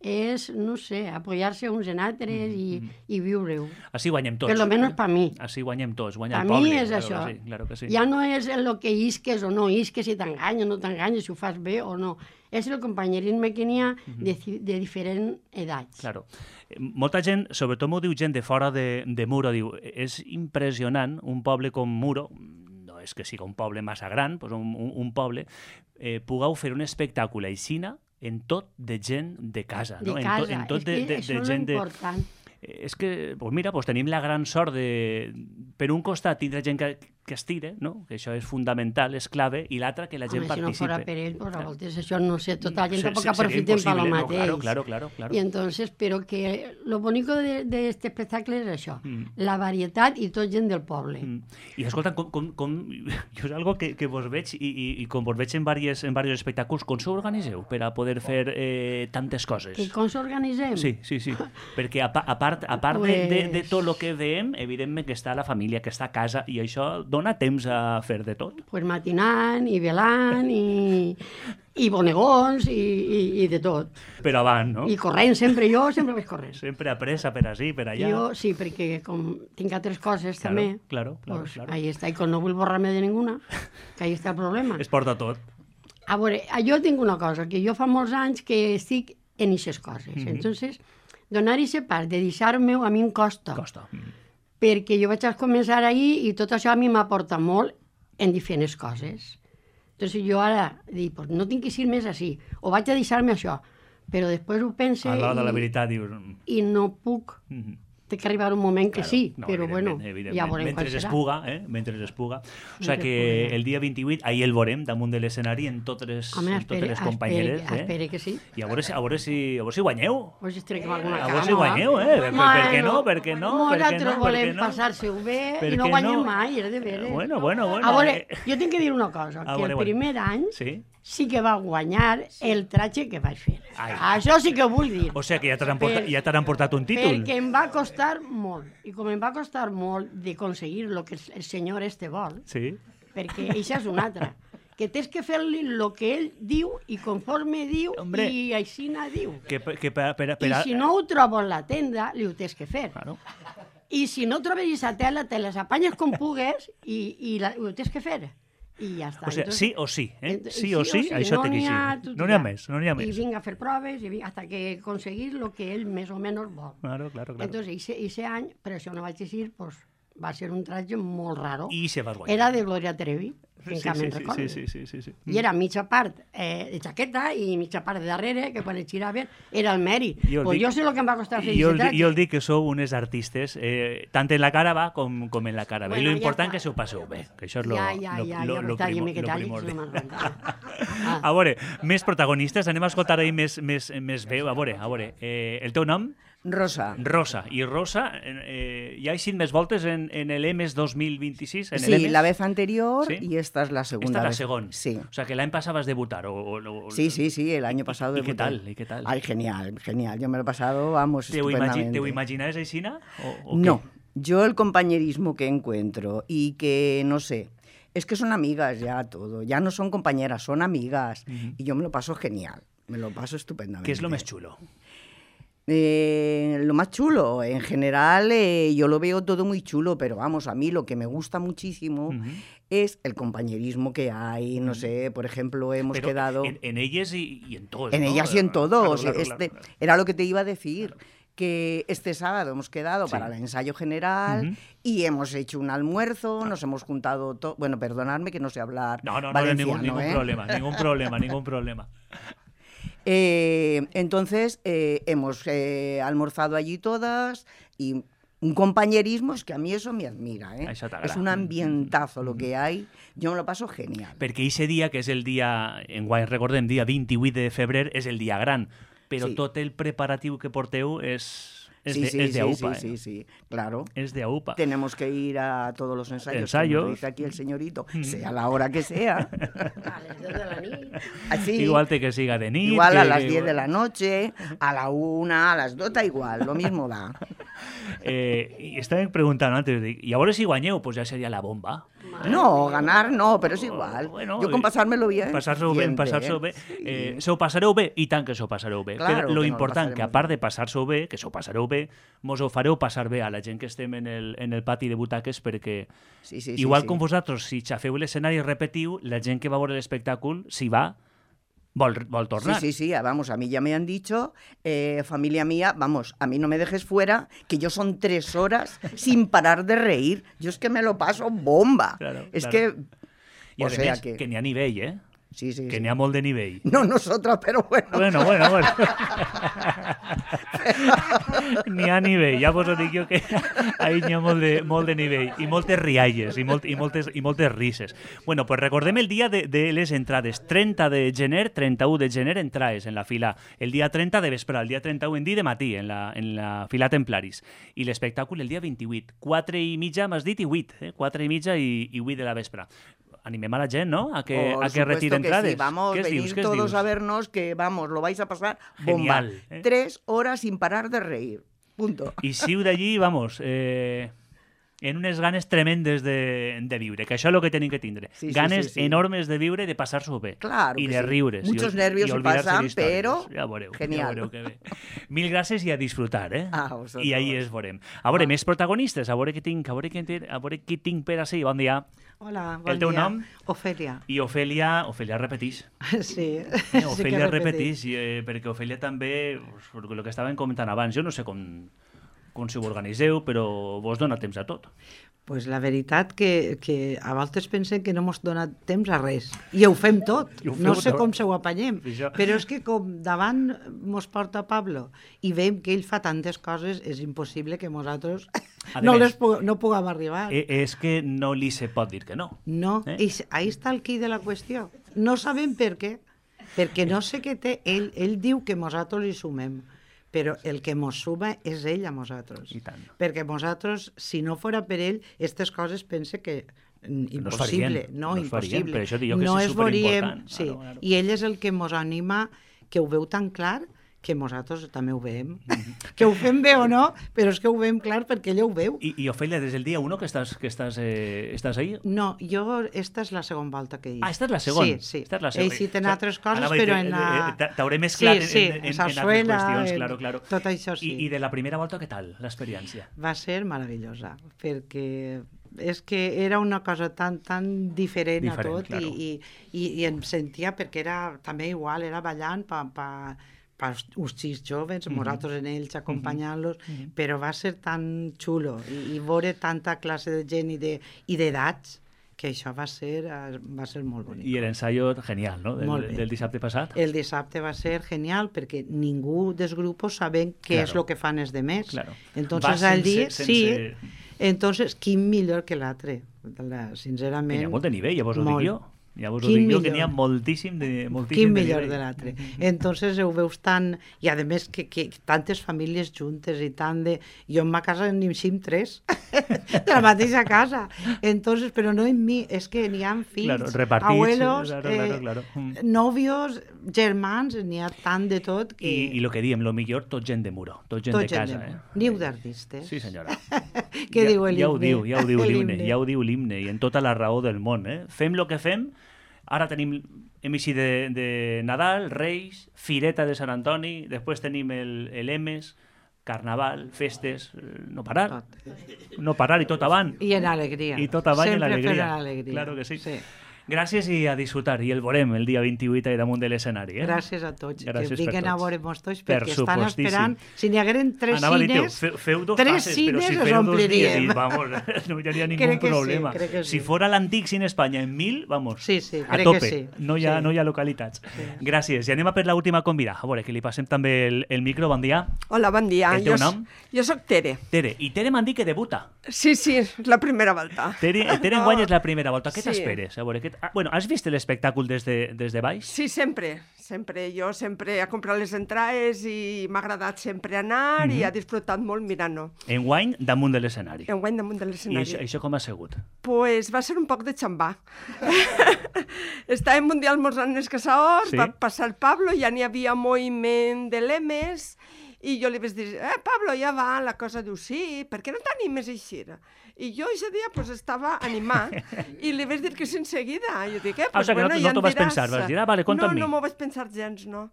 És, no sé, apoyar-se uns en altres mm, i, mm. i viure-ho. Així guanyem tots. Per lo menos per mi. Així guanyem tots, guanya pa el poble. Per mi és claro això. Que sí, claro que sí. Ja no és el que isques o no isques, si t'enganyes o no t'enganyes, si ho fas bé o no. És el companyerisme que n'hi ha de, de diferents edats. Claro. Molta gent, sobretot m'ho diu gent de fora de, de Muro, diu, és impressionant un poble com Muro, no és que sigui un poble massa gran, doncs un, un, un poble, eh, pugueu fer un espectacle aixina en tot de gent de casa, de no? casa. En, to, en tot és de, que de, això de gent és important. De... És que, pues mira, pues tenim la gran sort de, per un costat, tindre gent que, que es tire, no? Que això és fundamental, és clave, i l'altre, que la gent Home, participe. si no fora per ell, pues, a voltes això no sé, tota la gent Se, tampoc se, aprofiten per lo mateix. No, claro, claro, claro. Y entonces, pero que lo bonito de, de este espectacle és això, mm. la varietat i tot gent del poble. Mm. I escolta, com, com, com, jo és algo que, que vos veig, i, i, i com vos veig en diversos en diversos espectacles, com s'organitzeu per a poder fer eh, tantes coses? I com s'organitzem? Sí, sí, sí. Perquè a, a part, a part pues... de, de, de tot el que veiem, evidentment que està la família, que està a casa, i això dona temps a fer de tot. Pues matinant i velant i, i bonegons i, i, i de tot. Però avant, no? I corrent sempre, jo sempre vaig corrent. Sempre a pressa, per així, per allà. Jo sí, perquè com tinc altres coses claro, també, claro, claro, pues claro. ahí està, i com no vull borrar-me de ninguna, que ahí està el problema. Es porta tot. A veure, jo tinc una cosa, que jo fa molts anys que estic en aquestes coses. Mm-hmm. Entonces, donar aquesta part de deixar-me a mi em costa. Costa. Mm. Perquè jo vaig començar ahir i tot això a mi m'aporta molt en diferents coses. Entonces jo ara dic, pues no tinc que ser més així, o vaig a deixar-me això, però després ho pense a l'hora de la i, veritat dius... i no puc. Mm-hmm. Té que arribar un moment que claro, sí, no, però bueno, ja veurem mentre quan serà. Es puga, eh? Mentre es puga. O sigui que el dia vint-i-vuit, ahir el veurem damunt de l'escenari en totes les, Home, en espere, totes les companyeres. Espere, eh? espere que sí. I a veure si, a veure si, a veure si guanyeu. Pues estaré com alguna a cama. veure si guanyeu, eh? Per, per, per què no? Per què no? Nosaltres no? volem no? passar-se-ho bé per i no guanyem no? mai, és de veres. Bueno, bueno, bueno. A veure, jo tinc que dir una cosa, a que veure, el primer bueno. any sí? sí que va guanyar el tratge que vaig fer. Ai. Això sí que ho vull dir. O sigui que ja t'han portat, ja t'han portat un títol. Perquè em va costar molt. I com em va costar molt d'aconseguir el que el senyor este vol, sí? perquè això és una altra, que tens que fer-li el que ell diu i conforme diu Hombre, i aixina diu. Que, que per, per, per, I si no ho trobo en la tenda, li ho tens que fer. Claro. I si no trobes aquesta tela, te les apanyes com pugues i, i la, ho tens que fer. I ja està. O sigui, entonces, sí o sí, eh? ent- Sí, sí o sí, això no té que n'hi ha, ser. tu No n'hi ha diràs. més, no n'hi ha més. I vinc a fer proves i vinc, hasta que aconseguir el que ell més o menys vol. Claro, claro, claro. Entonces, ese, ese any, per això no vaig dir, pues, va ser un tratge molt raro. I se va guanyar. Era de Gloria Trevi, sí, encara sí, me'n sí, recordo. sí, sí, sí, sí. I era mitja part eh, de jaqueta i mitja part de darrere, que quan es giraven era el mèri. Jo el Pues dic- jo sé el que em va costar fer Jo, aquest el di- tratge. jo el dic que sou unes artistes, eh, tant en la cara va com, com en la cara B. Bueno, I lo ja important està. que se ho passeu bé, que això és lo, Ja, ja, lo, ja, lo, ja lo, m'està primo, dient que lo talli, que primordial. no me'n renta. Ah. A veure, més protagonistes, anem a escoltar ahir més, més, més veu. A veure, a veure, eh, el teu nom? Rosa. Rosa. I Rosa, eh, ja ha sigut més voltes en, en el EMES dos mil vint-i-sis? En Sí, el EMES? la vez anterior ¿Sí? y esta es la segunda Esta es la vez. segunda. Sí. O sea, que el año pasado vas a debutar. O, o, o- Sí, sí, sí, el año pasado ¿Y qué debuté. tal? ¿Y qué tal? Ay, genial, genial. Yo me lo he pasado, vamos, ¿Te ho, imagi estupendamente. te ho imaginas, Aixina? O, o No, qué? yo el compañerismo que encuentro y que, no sé, es que son amigas ya todo, ya no son compañeras, son amigas. Ujú. Y yo me lo paso genial, me lo paso estupendamente. ¿Qué es lo más chulo? Eh, lo más chulo, en general eh, yo lo veo todo muy chulo, pero vamos, a mí lo que me gusta muchísimo Ujú. es el compañerismo que hay, no sé, por ejemplo, hemos Pero quedado... En, en ellas y, y en todos. En ¿no? ellas y en todos. Claro, claro, este, claro, claro. Era lo que te iba a decir. Que este sábado hemos quedado Sí. para el ensayo general Ujú. y hemos hecho un almuerzo, nos hemos juntado... to- Bueno, perdonadme que no sé hablar No, no, no, valenciano, ningún, ningún ¿eh? problema, ningún problema, ningún problema. Eh, entonces, eh, hemos eh, almorzado allí todas y un compañerismo, es que a mí eso me admira, ¿eh? Això t'agrada. Es un ambientazo lo que hay, yo me lo paso genial. Perquè ese dia, que és el dia, en guany recordem, dia vint-i-vuit de febrer, és el dia gran, però Sí. tot el preparatiu que porteu és... Es sí, de, sí, es de sí, AUPA, sí, ¿eh? sí, sí, claro. Es de AUPA. Tenemos que ir a todos los ensayos, Ensayos. como dice aquí el señorito, sea la hora que sea. A les deu de la nit. Así, Igual te que siga de nit. igual que, a las que, diez de igual. la noche, a la una, a las dos, da igual, lo mismo da. Eh, y estaba preguntando antes, de, y ahora si guañeu, pues ya sería la bomba. No, ganar no, pero es igual. Bueno, Yo con pasármelo bien. Pasar-s'ho bé, passar-s'ho bé. Eh, s'ho passareu bé, i tant que s'ho passareu bé. Claro que lo que nos important, lo que a part de passar-s'ho bé, que s'ho passareu bé, mos ho fareu passar bé a la gent que estem en el, en el pati de butaques, perquè Sí, sí, sí, igual sí. com vosaltres, si xafeu l'escenari i repetiu, la gent que va veure l'espectacle, si va, vol, vol tornar. Sí, sí, sí, vamos, a mí ya me han dicho, eh, familia mía, vamos, a mí no me dejes fuera, que yo son tres horas sin parar de reír. Yo es que me lo paso bomba. Claro, es claro. que... I o a sea més, que... que n'hi ha nivell, eh? Sí, sí, Que sí. n'hi ha molt de nivell. No nosotras, pero bueno. Bueno, bueno, bueno. N'hi ha nivell, ja vos ho dic jo que ahí n'hi ha molt de, molt de nivell i moltes rialles i, molt, i, moltes, i moltes risses. Bueno, pues recordem el dia de, de les entrades. trenta de gener, trenta-u de gener, entrades en la fila. El dia trenta de vespre, el dia trenta-u en dia de matí, en la, en la fila Templaris. I l'espectacle el dia vint-i-vuit. Quatre i mitja, m'has dit, i vuit. Eh? Quatre i mitja i, i vuit de la vespre. Animem a la gent, ¿no? A que, Por a que retire supuesto que entrades. sí. Vamos, ¿Qué es venid dius? ¿Qué es todos dius? a vernos que, vamos, lo vais a pasar bomba. Genial, ¿eh? Tres horas sin parar de reír. Punto. I siu d'allí, vamos, eh, en unes ganes tremendes de, de viure, que això és el que tenim que tindre. Sí, sí, ganes sí, sí. enormes de viure, de passar-s'ho bé. Claro I que de sí. riures. Muchos i, nervios i se olvidar-se pasan, d'històries. pero Ja veureu, genial. ja veureu que bé. Mil gràcies i a disfrutar, eh? A vosotros. I ahí es veurem. A veure, més protagonistes, a veure què tinc, a veure què, té- a veure què tinc per així. Bon dia. Hola, bon El teu dia. nom? Ofèlia. I Ofèlia, Ofèlia repeteix. Sí, Eh, sí que Ofèlia repeteix. repeteix, eh, perquè Ofèlia també, pues, el que estàvem comentant abans, jo no sé com, com si ho organiseu, però vos dona temps a tot. Pues la veritat que, que a voltes pensem que no mos dona temps a res. I ho fem tot. I ho feu No sé tot. com se ho apanyem. Això. Però és que com davant mos porta Pablo i veiem que ell fa tantes coses, és impossible que nosaltres A no, més, les pu no puguem arribar. Eh, és que no li se pot dir que no. No, Eh? i s- ahí està el qui de la qüestió. No sabem per què, perquè no sé què té. Ell, ell diu que nosaltres hi sumem, però el que mos suma és ell a nosaltres. I tant. Perquè nosaltres, si no fora per ell, aquestes coses pense que mm, No es impossible. farien, No, no es farien, impossible. per això dic jo que no és es veuríem, superimportant. sí. Claro, claro. I ell és el que mos anima, que ho veu tan clar, que nosaltres també ho veiem. Que ho fem bé o no, però és que ho veiem clar perquè ell ho veu. I, i Ofèlia, des del dia uno que estàs, que estàs, eh, estàs ahí? No, jo, esta és la segona volta que hi. Ah, esta és la segona. Sí, sí. Esta és la segona. He cit en O sea, altres coses, anava a dir, però eh, en eh, la... t'a- T'hauré mesclat sí, sí, en, en, en, en altres sarsuela, qüestions, en- claro, claro. tot això sí. I, I de la primera volta, què tal, l'experiència? Va ser meravellosa, perquè és que era una cosa tan, tan diferent, Diferent, a tot claro. i, i, i, i em sentia, perquè era també igual, era ballant per pa, pa els xics joves, Mhm. nosaltres en ells acompanyant-los, però va ser tan xulo i, i veure tanta classe de gent i de- i d'edats que això va ser, eh, va ser molt bonic. I l'ensaio genial, no?, Molt del, bé. del dissabte passat. El dissabte va ser genial perquè ningú dels grupos saben què Claro. és el que fan els demés. Claro. Entonces Va al sense- dia, sense- sí, entonces quin millor que l'altre, La- Que sincerament. n'hi ha molt de nivell, ja vos ho molt. dic jo. Ja vos ho Quin dic jo, que millor. n'hi ha moltíssim de, moltíssim Quin de millor nivell. de l'altre. Entonces ho veus tan... I a més que, que tantes famílies juntes i tant de... Jo en ma casa n'hi sim tres, de la mateixa casa. Entonces, però no en mi, és que n'hi ha fills, Claro, repartits, abuelos, claro, eh, claro, claro. Mm. nòvios, germans, n'hi ha tant de tot que... I, I el que diem, lo millor, tot gent de muro, tot gent tot de gent casa. de- Eh? Niu d'artistes. Sí, senyora. Què ja, diu el ja ho himne? diu, ja ho diu El l'himne, himne. ja ho diu l'himne, i en tota la raó del món. Eh? Fem el que fem, ara tenim hem eixit de, de Nadal, Reis, Fireta de Sant Antoni, després tenim el, el Emes, Carnaval, festes, eh, no parar, Tot. no parar i tot avant. I en alegria. I tot avant en Sempre alegria. fent alegria. Claro que sí. sí. Gràcies i a disfrutar. I el veurem el dia vint-i-vuit a damunt de l'escenari. Eh? Gràcies a tots. Gràcies que per vinguen a tots. veure-mos tots, Per perquè estan supostíssim. esperant... Si n'hi hagueren tres Anava a dir, tio, cines, feu, feu dos tres passes, però cines si els feu dos dies, ompliríem. i, vamos, no hi hauria ningú Crec que sí, problema. crec que sí. Si fora l'antic Cine Espanya en mil, vamos, Sí, sí, a crec tope. que sí. No, hi ha, Sí. no hi ha localitats. Gràcies. I anem a per l'última convida. A veure, que li passem també el, el micro. Bon dia. Hola, bon dia. El teu jo, nom? Jo sóc Tere. Tere. I Tere m'han dit que debuta. Sí, sí, és la primera volta. Tere, Tere enguany és la primera volta. Què Sí. t'esperes? A veure, què fet... Ah, bueno, has vist l'espectacle des de, des de baix? Sí, sempre, sempre. Jo sempre he comprat les entrades i m'ha agradat sempre anar mm-hmm. i ha disfrutat molt mirant-ho. Enguany, damunt de l'escenari. Enguany, damunt de l'escenari. I això, això com ha sigut? Pues va ser un poc de xambà. Estàvem un dia almorzant els caçadors, sí? Va passar el Pablo, ja n'hi havia moviment de lemes, i jo li vaig dir, eh, Pablo, ja va, la cosa diu, sí, per què no t'animes així? I jo aquest dia pues, estava animat i li vaig dir que sí en seguida. Jo dic, eh, pues, ah, o sigui, bueno, que no, ja no t'ho vas pensar, vas dir, ah, vale, compta no, amb mi. No, no m'ho vaig pensar gens, no.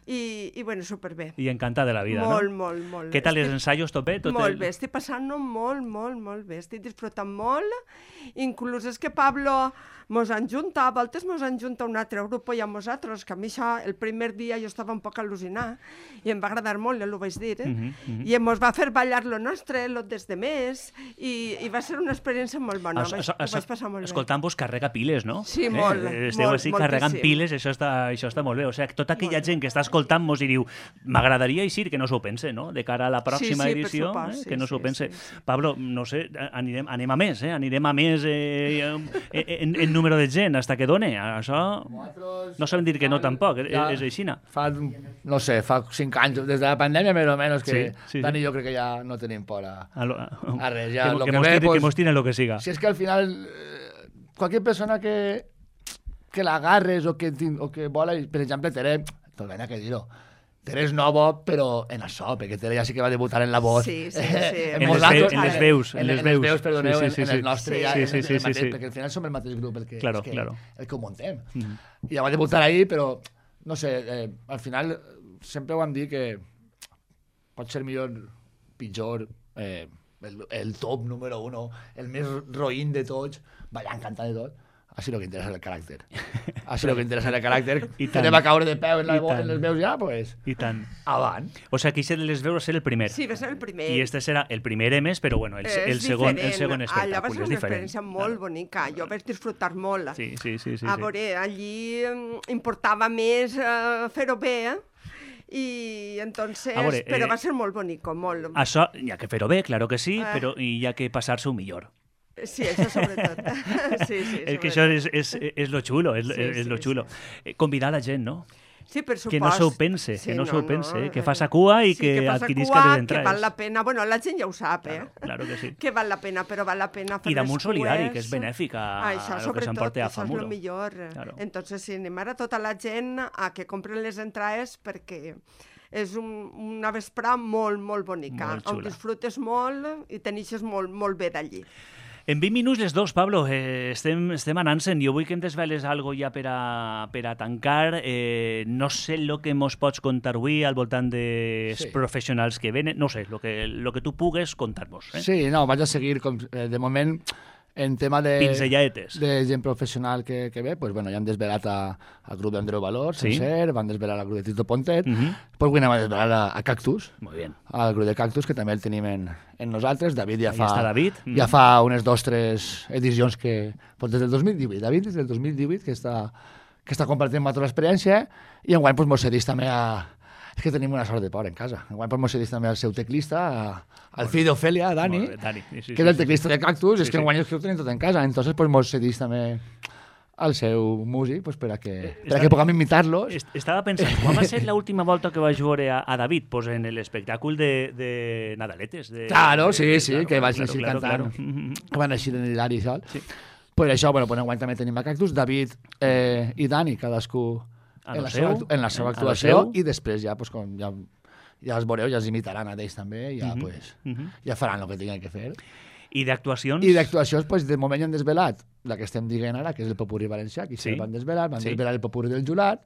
I, i bueno, superbé. I encantada de la vida, molt, no? Molt, molt, molt. Què tal estic... els ensaios, tot bé? Tot molt el... bé, estic passant-ho molt, molt, molt bé. Estic disfrutant molt. Inclús és que Pablo mos enjunta, a voltes mos enjunta un altre grup i a nosaltres, que a mi això, el primer dia jo estava un poc al·lucinat i em va agradar molt, ja ho vaig dir, eh? Uh-huh, uh-huh. I mos va fer ballar lo nostre, lo des de més, i, i va ser una experiència molt bona. Ho vaig, ho vaig passar molt bé. Escoltant-vos carrega piles, no? Sí, molt, eh? Esteu molt, així carregant piles, això està, això està molt bé. O sigui, tota aquella molt gent que està escoltant-mos i diu, m'agradaria així que no s'ho pense, no? De cara a la pròxima sí, sí, edició, supòs, eh? sí, que no s'ho sí, pense. Sí, sí. Pablo, no sé, anirem, anem a més, eh? Anirem a més eh, en, en número de gent, hasta que done. Això no sabem dir que no tampoc, ja, és aixina. Fa, no sé, fa cinc anys, des de la pandèmia més o menys, que sí, sí, Dani i jo crec que ja no tenim por a, a, lo, a, a res. Ja, que, lo que, que, mos ve, tire, pues, que mos tiren lo que siga. Si és que al final, eh, qualque persona que, que l'agarres o que, o que vola, per exemple, Tere, tot ben que dir-ho, Tere és nova, però en això, perquè Tere ja sí que va debutar en la voz. Sí, sí, sí. en, en, les veus, en les veus. En les veus, veus perdoneu, sí, sí, sí, en, en el nostre, sí, ja, sí, en, sí, en sí, el mateix, sí, sí. perquè al final som el mateix grup el que, claro, el que, claro. el que ho muntem. Mm. I ja va debutar ahir, però, no sé, eh, al final sempre ho vam dir que pot ser millor, pitjor, eh, el, el top número uno, el més roïn de tots, ballant, cantant de tot. Així el que interessa el caràcter. Així el que interessa el caràcter. I tant. Que va caure de peu en, la, en les veus ja, pues... I tant. Avant. O sigui, que de les veus va ser el primer. Sí, va ser el primer. I este serà el primer emes, però bueno, el, el, segon, el segon espectacle. Allà va ser una diferent. experiència molt claro. bonica. Jo vaig disfrutar molt. Sí, sí, sí. sí a veure, sí. allí importava més uh, fer-ho bé, eh? I entonces, veure, però eh, va ser molt bonico, molt. Això, hi ha que fer-ho bé, claro que sí, eh. però hi ha que passar-s'ho millor. Sí, això sobretot. sí, sí, és que això és, és, és lo xulo, és, sí, és lo xulo. Sí. Convidar la gent, no? Sí, per supost. Que no s'ho pense, sí, que no, no s'ho pense, no, eh? que faça cua i sí, que, que adquirisca les entrades. Que val la pena, bueno, la gent ja ho sap, eh? Claro, claro que sí. Que val la pena, però val la pena fer I damunt les solidari, cues. que és benèfic a, això, a lo que s'emporta a Famuro. Això és el millor. Claro. Entonces, sí, anem ara tota la gent a que compren les entrades perquè és un, una vesprà molt, molt bonica, molt on disfrutes molt i tenixes molt, molt bé d'allí. En vint minuts les dos, Pablo, eh, estem, estem anant-se'n. Jo vull que em desveles algo ja per a, per a tancar. Eh, no sé el que mos pots contar avui al voltant dels sí. professionals que venen. No sé, el que, lo que tu pugues contar-nos. Eh? Sí, no, vaig a seguir, com, eh, de moment, en tema de, de gent professional que, que ve, pues, bueno, ja han desvelat al grup d'Andreu Valor, sí. Sencer, van desvelar al grup de Tito Pontet, uh -huh. pues avui anem a desvelar a, a Cactus, Muy bien. al grup de Cactus, que també el tenim en, en nosaltres. David ja fa, està David. Uh -huh. ja fa unes dos, tres edicions que, pues, des del dos mil divuit, David des del dos mil divuit que està, que està compartint amb nosaltres l'experiència, i enguany pues, mos cedís també a... És que tenim una sort de por en casa. Enguany pues, mos cedís també al seu teclista, al fill d'Ofèlia, Dani, bé, Dani. Sí, sí, que és el teclista de Cactus, sí, és que enguany sí. és que ho tenim tot en casa. Entonces pues, mos cedís també al seu músic pues, per a que, per a que puguem imitar-los. Estava pensant, quan va ser l'última volta que vaig veure a, a David? Pues en l'espectacle de, de Nadaletes. De, claro, sí, de, sí, claro, que vaig claro, així claro, cantant, claro. que van així en l'hilari i tal. Sí. Per això, bueno, pues, enguany també tenim a Cactus, David eh, i Dani, cadascú en la, seva, en la seva actuació, i després ja, pues, com ja, ja els veureu, ja els imitaran a ells també, ja, uh -huh. pues, uh -huh. ja faran el que tinguin que fer. I d'actuacions? I d'actuacions, pues, de moment ja han desvelat la que estem dient ara, que és el Popurrí valencià, que sí. van desvelar, van sí. desvelar el Popurrí del Jurat,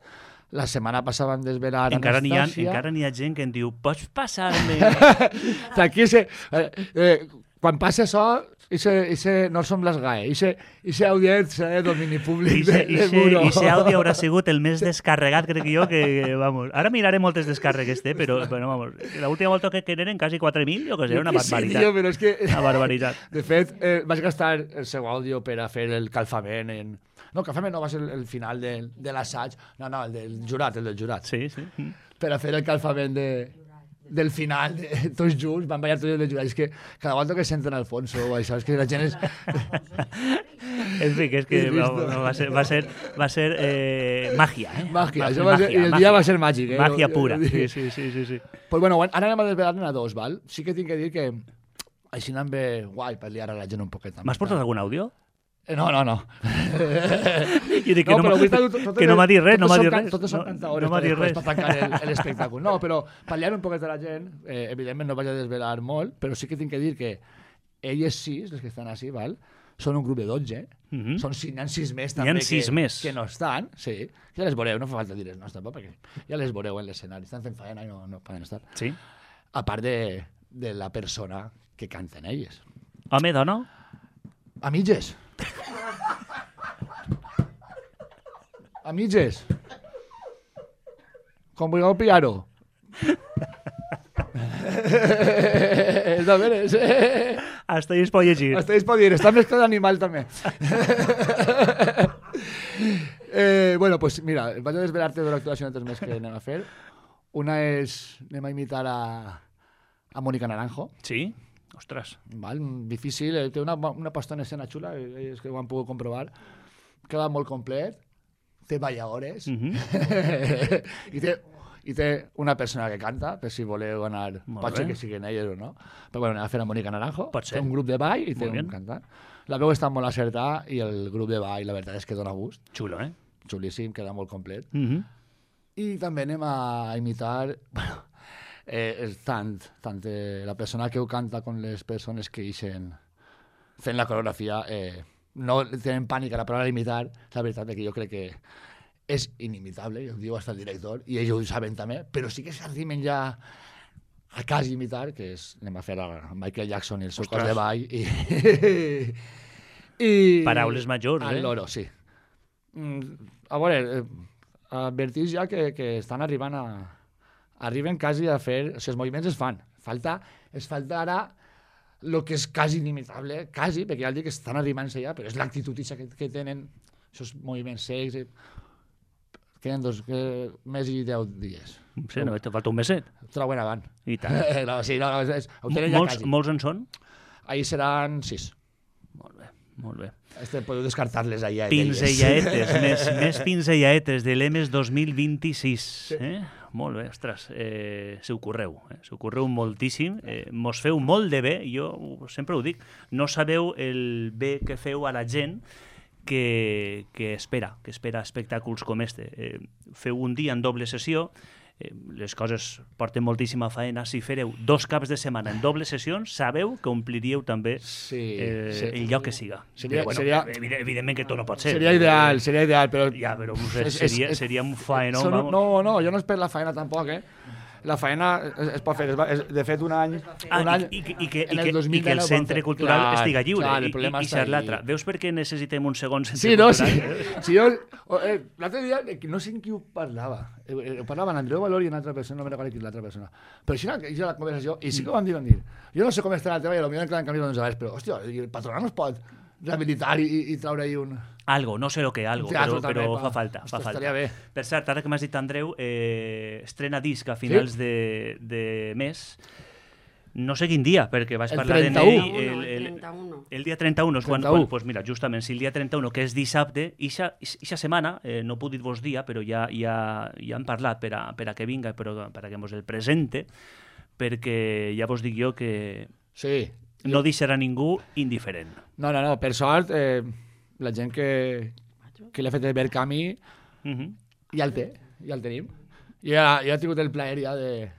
la setmana passada van desvelar encara Anastàcia. N'hi ha, encara n'hi ha gent que em diu, pots passar-me... Aquí se... Eh, eh, quan passa això, Ixe, ixe no som les G A E, ixe, ixe àudio serà de domini públic de, de Muro. Ixe àudio haurà sigut el més descarregat, crec jo, que, vamos, ara miraré moltes descàrregues, té, però, bueno, vamos, l'última volta que eren quasi quatre mil, jo que sé, una barbaritat. Sí, tio, però és que... Una barbaritat. De fet, eh, vaig gastar el seu àudio per a fer el calfament en... No, el calfament no va ser el final de, de l'assaig, no, no, el del jurat, el del jurat. Sí, sí. Per a fer el calfament de... del final, de, tots junts, van ballar tots els jurats. És que cada volta que senten Alfonso o això, és que la gent és... En fi, que és que va, va ser, va ser, va ser eh, màgia, eh? Màgia, va això va ser, màgia, el màgia. dia va ser màgic, eh? Màgia pura, sí, sí, sí, sí, sí. Pues bueno, ara anem a desvelar-ne a dos, val? Sí que tinc que dir que així anem bé guai per liar a la gent un poquet. M'has portat algun àudio? Eh, No, no, no. Jo dic que no, però m'ha- avui està tot- tot- que no m'ha dit res, no m'ha dit totes són res. can- Totes són No- cantadores no m'ha dit per, res. per tancar el- l'espectacle. No, però per liar un poquet a la gent, eh, evidentment no vaig a desvelar molt, però sí que tinc que dir que elles sis, les que estan així, val? Són un grup de dotze, Mhm. són sis, n'hi ha sis més N'hi ha també sis que, més. que no estan, sí. Ja les veureu, no fa falta dir els noms tampoc, perquè ja les veureu en l'escenari, estan fent faena i no, no poden estar. Sí. A part de, de la persona que canten elles. Home, dona? A mitges. A mitges. Com vulgueu pillar-ho. És de veres. Hasta ahí es pot llegir. Hasta es pot dir. Està més que d'animal, també. eh, bueno, pues mira, vaig a desvelar-te dues actuacions més que anem a fer. Una és, anem a imitar a, a Mónica Naranjo. Sí? Ostres. Val? Difícil, eh, té una, una posta en escena xula, eh, és que ho han pogut comprovar. Queda molt complet, té balladores, Mhm. i, té, i té una persona que canta, per si voleu anar, Molt pot ser bé. que siguin elles o no. Però bueno, anem a fer a Mónica Naranjo, Pot ser. té un grup de ball i té Molt un bien. cantant. La veu està molt acertada i el grup de ball, la veritat és que dona gust, Xulo, eh? xulíssim, queda molt complet. Mhm. I també anem a imitar, bueno, eh, és tant, tant eh, la persona que ho canta com les persones que ixen fent la coreografia, eh, no tenen pànic a la paraula imitar, la veritat és que jo crec que és inimitable, i ho diu hasta el director, i ells ho saben també, però sí que s'arrimen ja a quasi imitar, que és, anem a fer a Michael Jackson i el seu cos Ostres. de ball, i... i Paraules majors, al eh? loro, sí. Mm, a veure, eh, advertís ja que, que estan arribant a... Arriben quasi a fer... O sigui, els moviments es fan. Falta, es falta ara el que és quasi inimitable, quasi, perquè ja dic que estan arribant-se ja, però és l'actitud que, que tenen, aquests moviments secs... I... Queden dos que, més i deu dies. Sí, no, te falta un meset. Troben avant. I tant. no, sí, no, no, és, ho tenen ja Molts, quasi. molts en són? Ahir seran sis. Molt bé, molt bé. Este, podeu descartar-les allà. Pinzellaetes, més, més pinzellaetes de l'E M E S dos mil vint-i-sis. Eh? Molt bé, ostres, eh, se ho correu, eh? se ho correu moltíssim, eh, mos feu molt de bé, jo sempre ho dic, no sabeu el bé que feu a la gent que, que espera, que espera espectacles com este. Eh, feu un dia en doble sessió, eh, les coses porten moltíssima faena. Si fareu dos caps de setmana en doble sessions, sabeu que ompliríeu també Sí, eh, sí. el lloc que siga. Seria- Però, bueno, seria- evident- evidentment que tot no pot ser. Seria ideal, seria ideal, però... Ja, però no sé, És- és- seria, és- seria un faenó. Són- vamos. no, no, jo no és per la feina tampoc, eh? La feina es, es pot fer, es va, es, de fet un any... Ah, un any i, i, i, que, en i, el que, dos mil i que el deu centre vam fer. cultural Clar, estiga lliure clar, el i, problema i, i està ser ahí. l'altre. Veus per què necessitem un segon centre Sí, no, sí. cultural? sí jo, oh, eh, l'altre dia, eh, no sé en qui ho parlava. Eh, eh, ho parlava en Andreu Valor i en altra persona, no me recordo qui és l'altra persona. Però així era la conversació, i sí que ho van dir, van dir. Jo no sé com estarà el tema, i potser en canvi no en sabés, però, hòstia, el patronat no es pot rehabilitar i, i traure-hi un... Algo, no sé lo que algo, Teatro però, però també, fa pa. falta. Fa Ostres, falta. estaria bé. Per cert, ara que m'has dit, Andreu, eh, estrena disc a finals de, de mes. No sé quin dia, perquè vaig El parlar en trenta-u. ell. El, el el, trenta-u. el dia trenta-u és quan, trenta-u. quan pues mira, justament, si el dia trenta-u, que és dissabte, ixa, ixa setmana, eh, no puc dir-vos dia, però ja, ja, ja han parlat per a, per a que vinga, però per a que mos el presente, perquè ja vos dic jo que Sí. no deixarà ningú indiferent. No, no, no, per sort, eh, la gent que, que li ha fet el ver camí Mhm. ja el té, ja el tenim. Jo ja, jo he tingut el plaer ja de,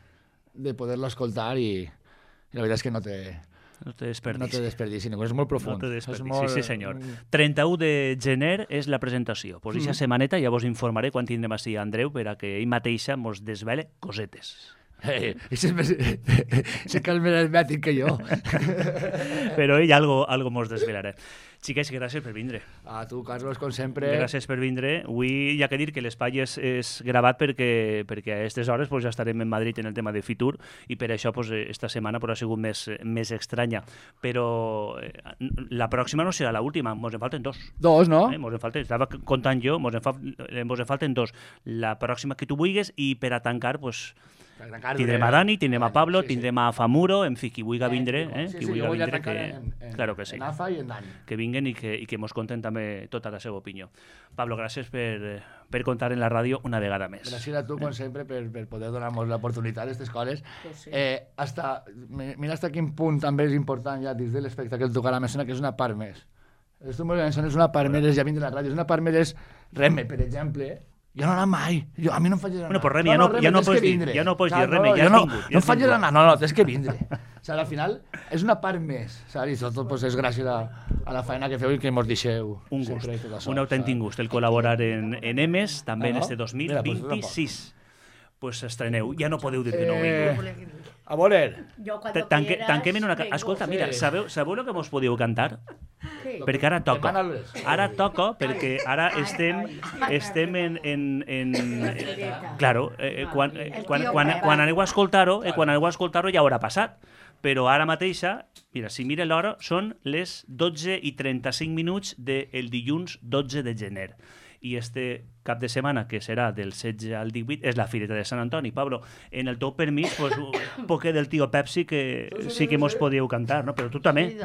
de poder-lo escoltar i, i la veritat és que no té, No té no desperdici. té desperdici, ningú, és molt profund. No té És desperdici, molt- sí senyor. trenta-u de gener és la presentació. Pues eixa setmaneta ja vos informaré quan tindrem així a Andreu per a que ell mateixa mos desvele cosetes. Eh, ese es, ese que és més hermètic que jo. Però ell algo, algo mos desvelarà. Xiquets, gràcies per vindre. A tu, Carlos, com sempre. Gràcies per vindre. Avui hi ha que dir que l'espai és, és gravat perquè, perquè a aquestes hores pues, ja estarem en Madrid en el tema de Fitur i per això pues, esta setmana pues, ha sigut més, més estranya. Però eh, la pròxima no serà l'última, mos en falten dos. Dos, no? Eh, mos en falten, estava comptant jo, mos en, fa, eh, mos en falten dos. La pròxima que tu vulguis i per a tancar, pues, tindrem a Dani, tindrem a Pablo, tindrem a Famuro, en fi, qui vulgui vindre, eh? qui vulgui vindre, que... Claro que sí. En Afa i en Dani. Que vinguen i que, i que mos conten també tota la seva opinió. Pablo, gràcies per, per contar en la ràdio una vegada més. Gràcies a tu, com sempre, per, per poder donar-nos l'oportunitat d'aquestes coses. Eh, hasta, mira hasta quin punt també és important ja dins de l'espectacle tocar la mesona, que és una part més. Esto és una part més, ja vindre a la ràdio, és una part més Reme, per exemple. Jo no anava mai. Jo, a mi no em faig anar. Bueno, pues Reme, ja no, ja no pots dir, ja no pots dir Reme, ja has vingut. No em faig anar, no, no, tens que vindre. O sigui, al final és una part més, saps? I tot pues, és gràcies a, a la feina que feu i que mos deixeu. Un gust, un autèntic gust, el col·laborar en, en Emes, també en este dos mil vint-i-sis. Pues estreneu, ja no podeu dir que no vingut. A veure. Tanquem en una... Escolta, mira, sabeu, sabeu el que mos podíeu cantar? Sí. Perquè ara toca. Ara toca perquè ara estem estem en... en, en eh, claro, eh, quan, eh, quan, quan, quan aneu a escoltar-ho, eh, quan aneu a escoltar-ho ja haurà passat. Però ara mateixa, mira, si mira l'hora, són les dotze i trenta-cinc minuts del dilluns dotze de gener. I este cap de setmana, que serà del setze al divuit, és la Fireta de Sant Antoni. Pablo, en el teu permís, pues, un poquet del tio Pepsi que sí que mos podíeu cantar, no? Però tu també.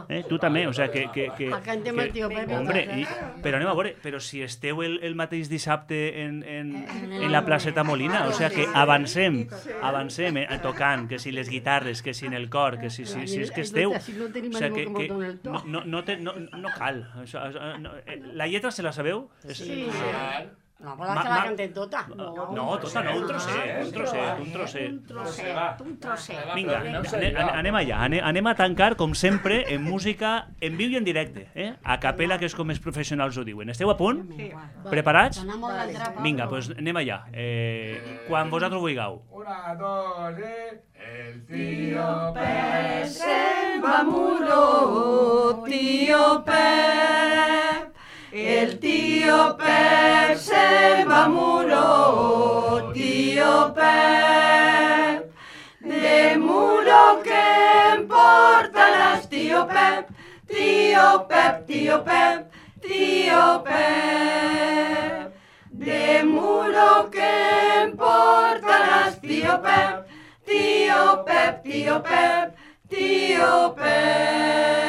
Eh? Tu també, o sea, que... que, que, Cantem el tio Pepsi. Hombre, i, però anem a veure, però si esteu el, el mateix dissabte en, en, en la placeta Molina, o sea, que avancem, avancem, eh, tocant, que si les guitarres, que si en el cor, que si, si, si és que esteu... O sea, que, que no, no, no, te, no, no cal. La lletra se la sabeu? Sí. No, però que la cantem tota. No, no, tota no, un trosset, un trosset, un trosset. Un trosset, un trosset. Vinga, anem allà, anem a tancar, com sempre, en música en viu i en directe, eh? A capella, que és com els professionals ho diuen. Esteu a punt? Preparats? Vinga, doncs anem allà. Quan vosaltres vulgueu. Una, dos, eh... El tío Pep se'n va muro, tío Pep. El tío Pep se va muro, tío Pep. De muro que importarás, tío Pep, tío Pep, tío Pep, tío Pep. De muro que importarás, tío Pep, tío Pep, tío Pep, tío Pep.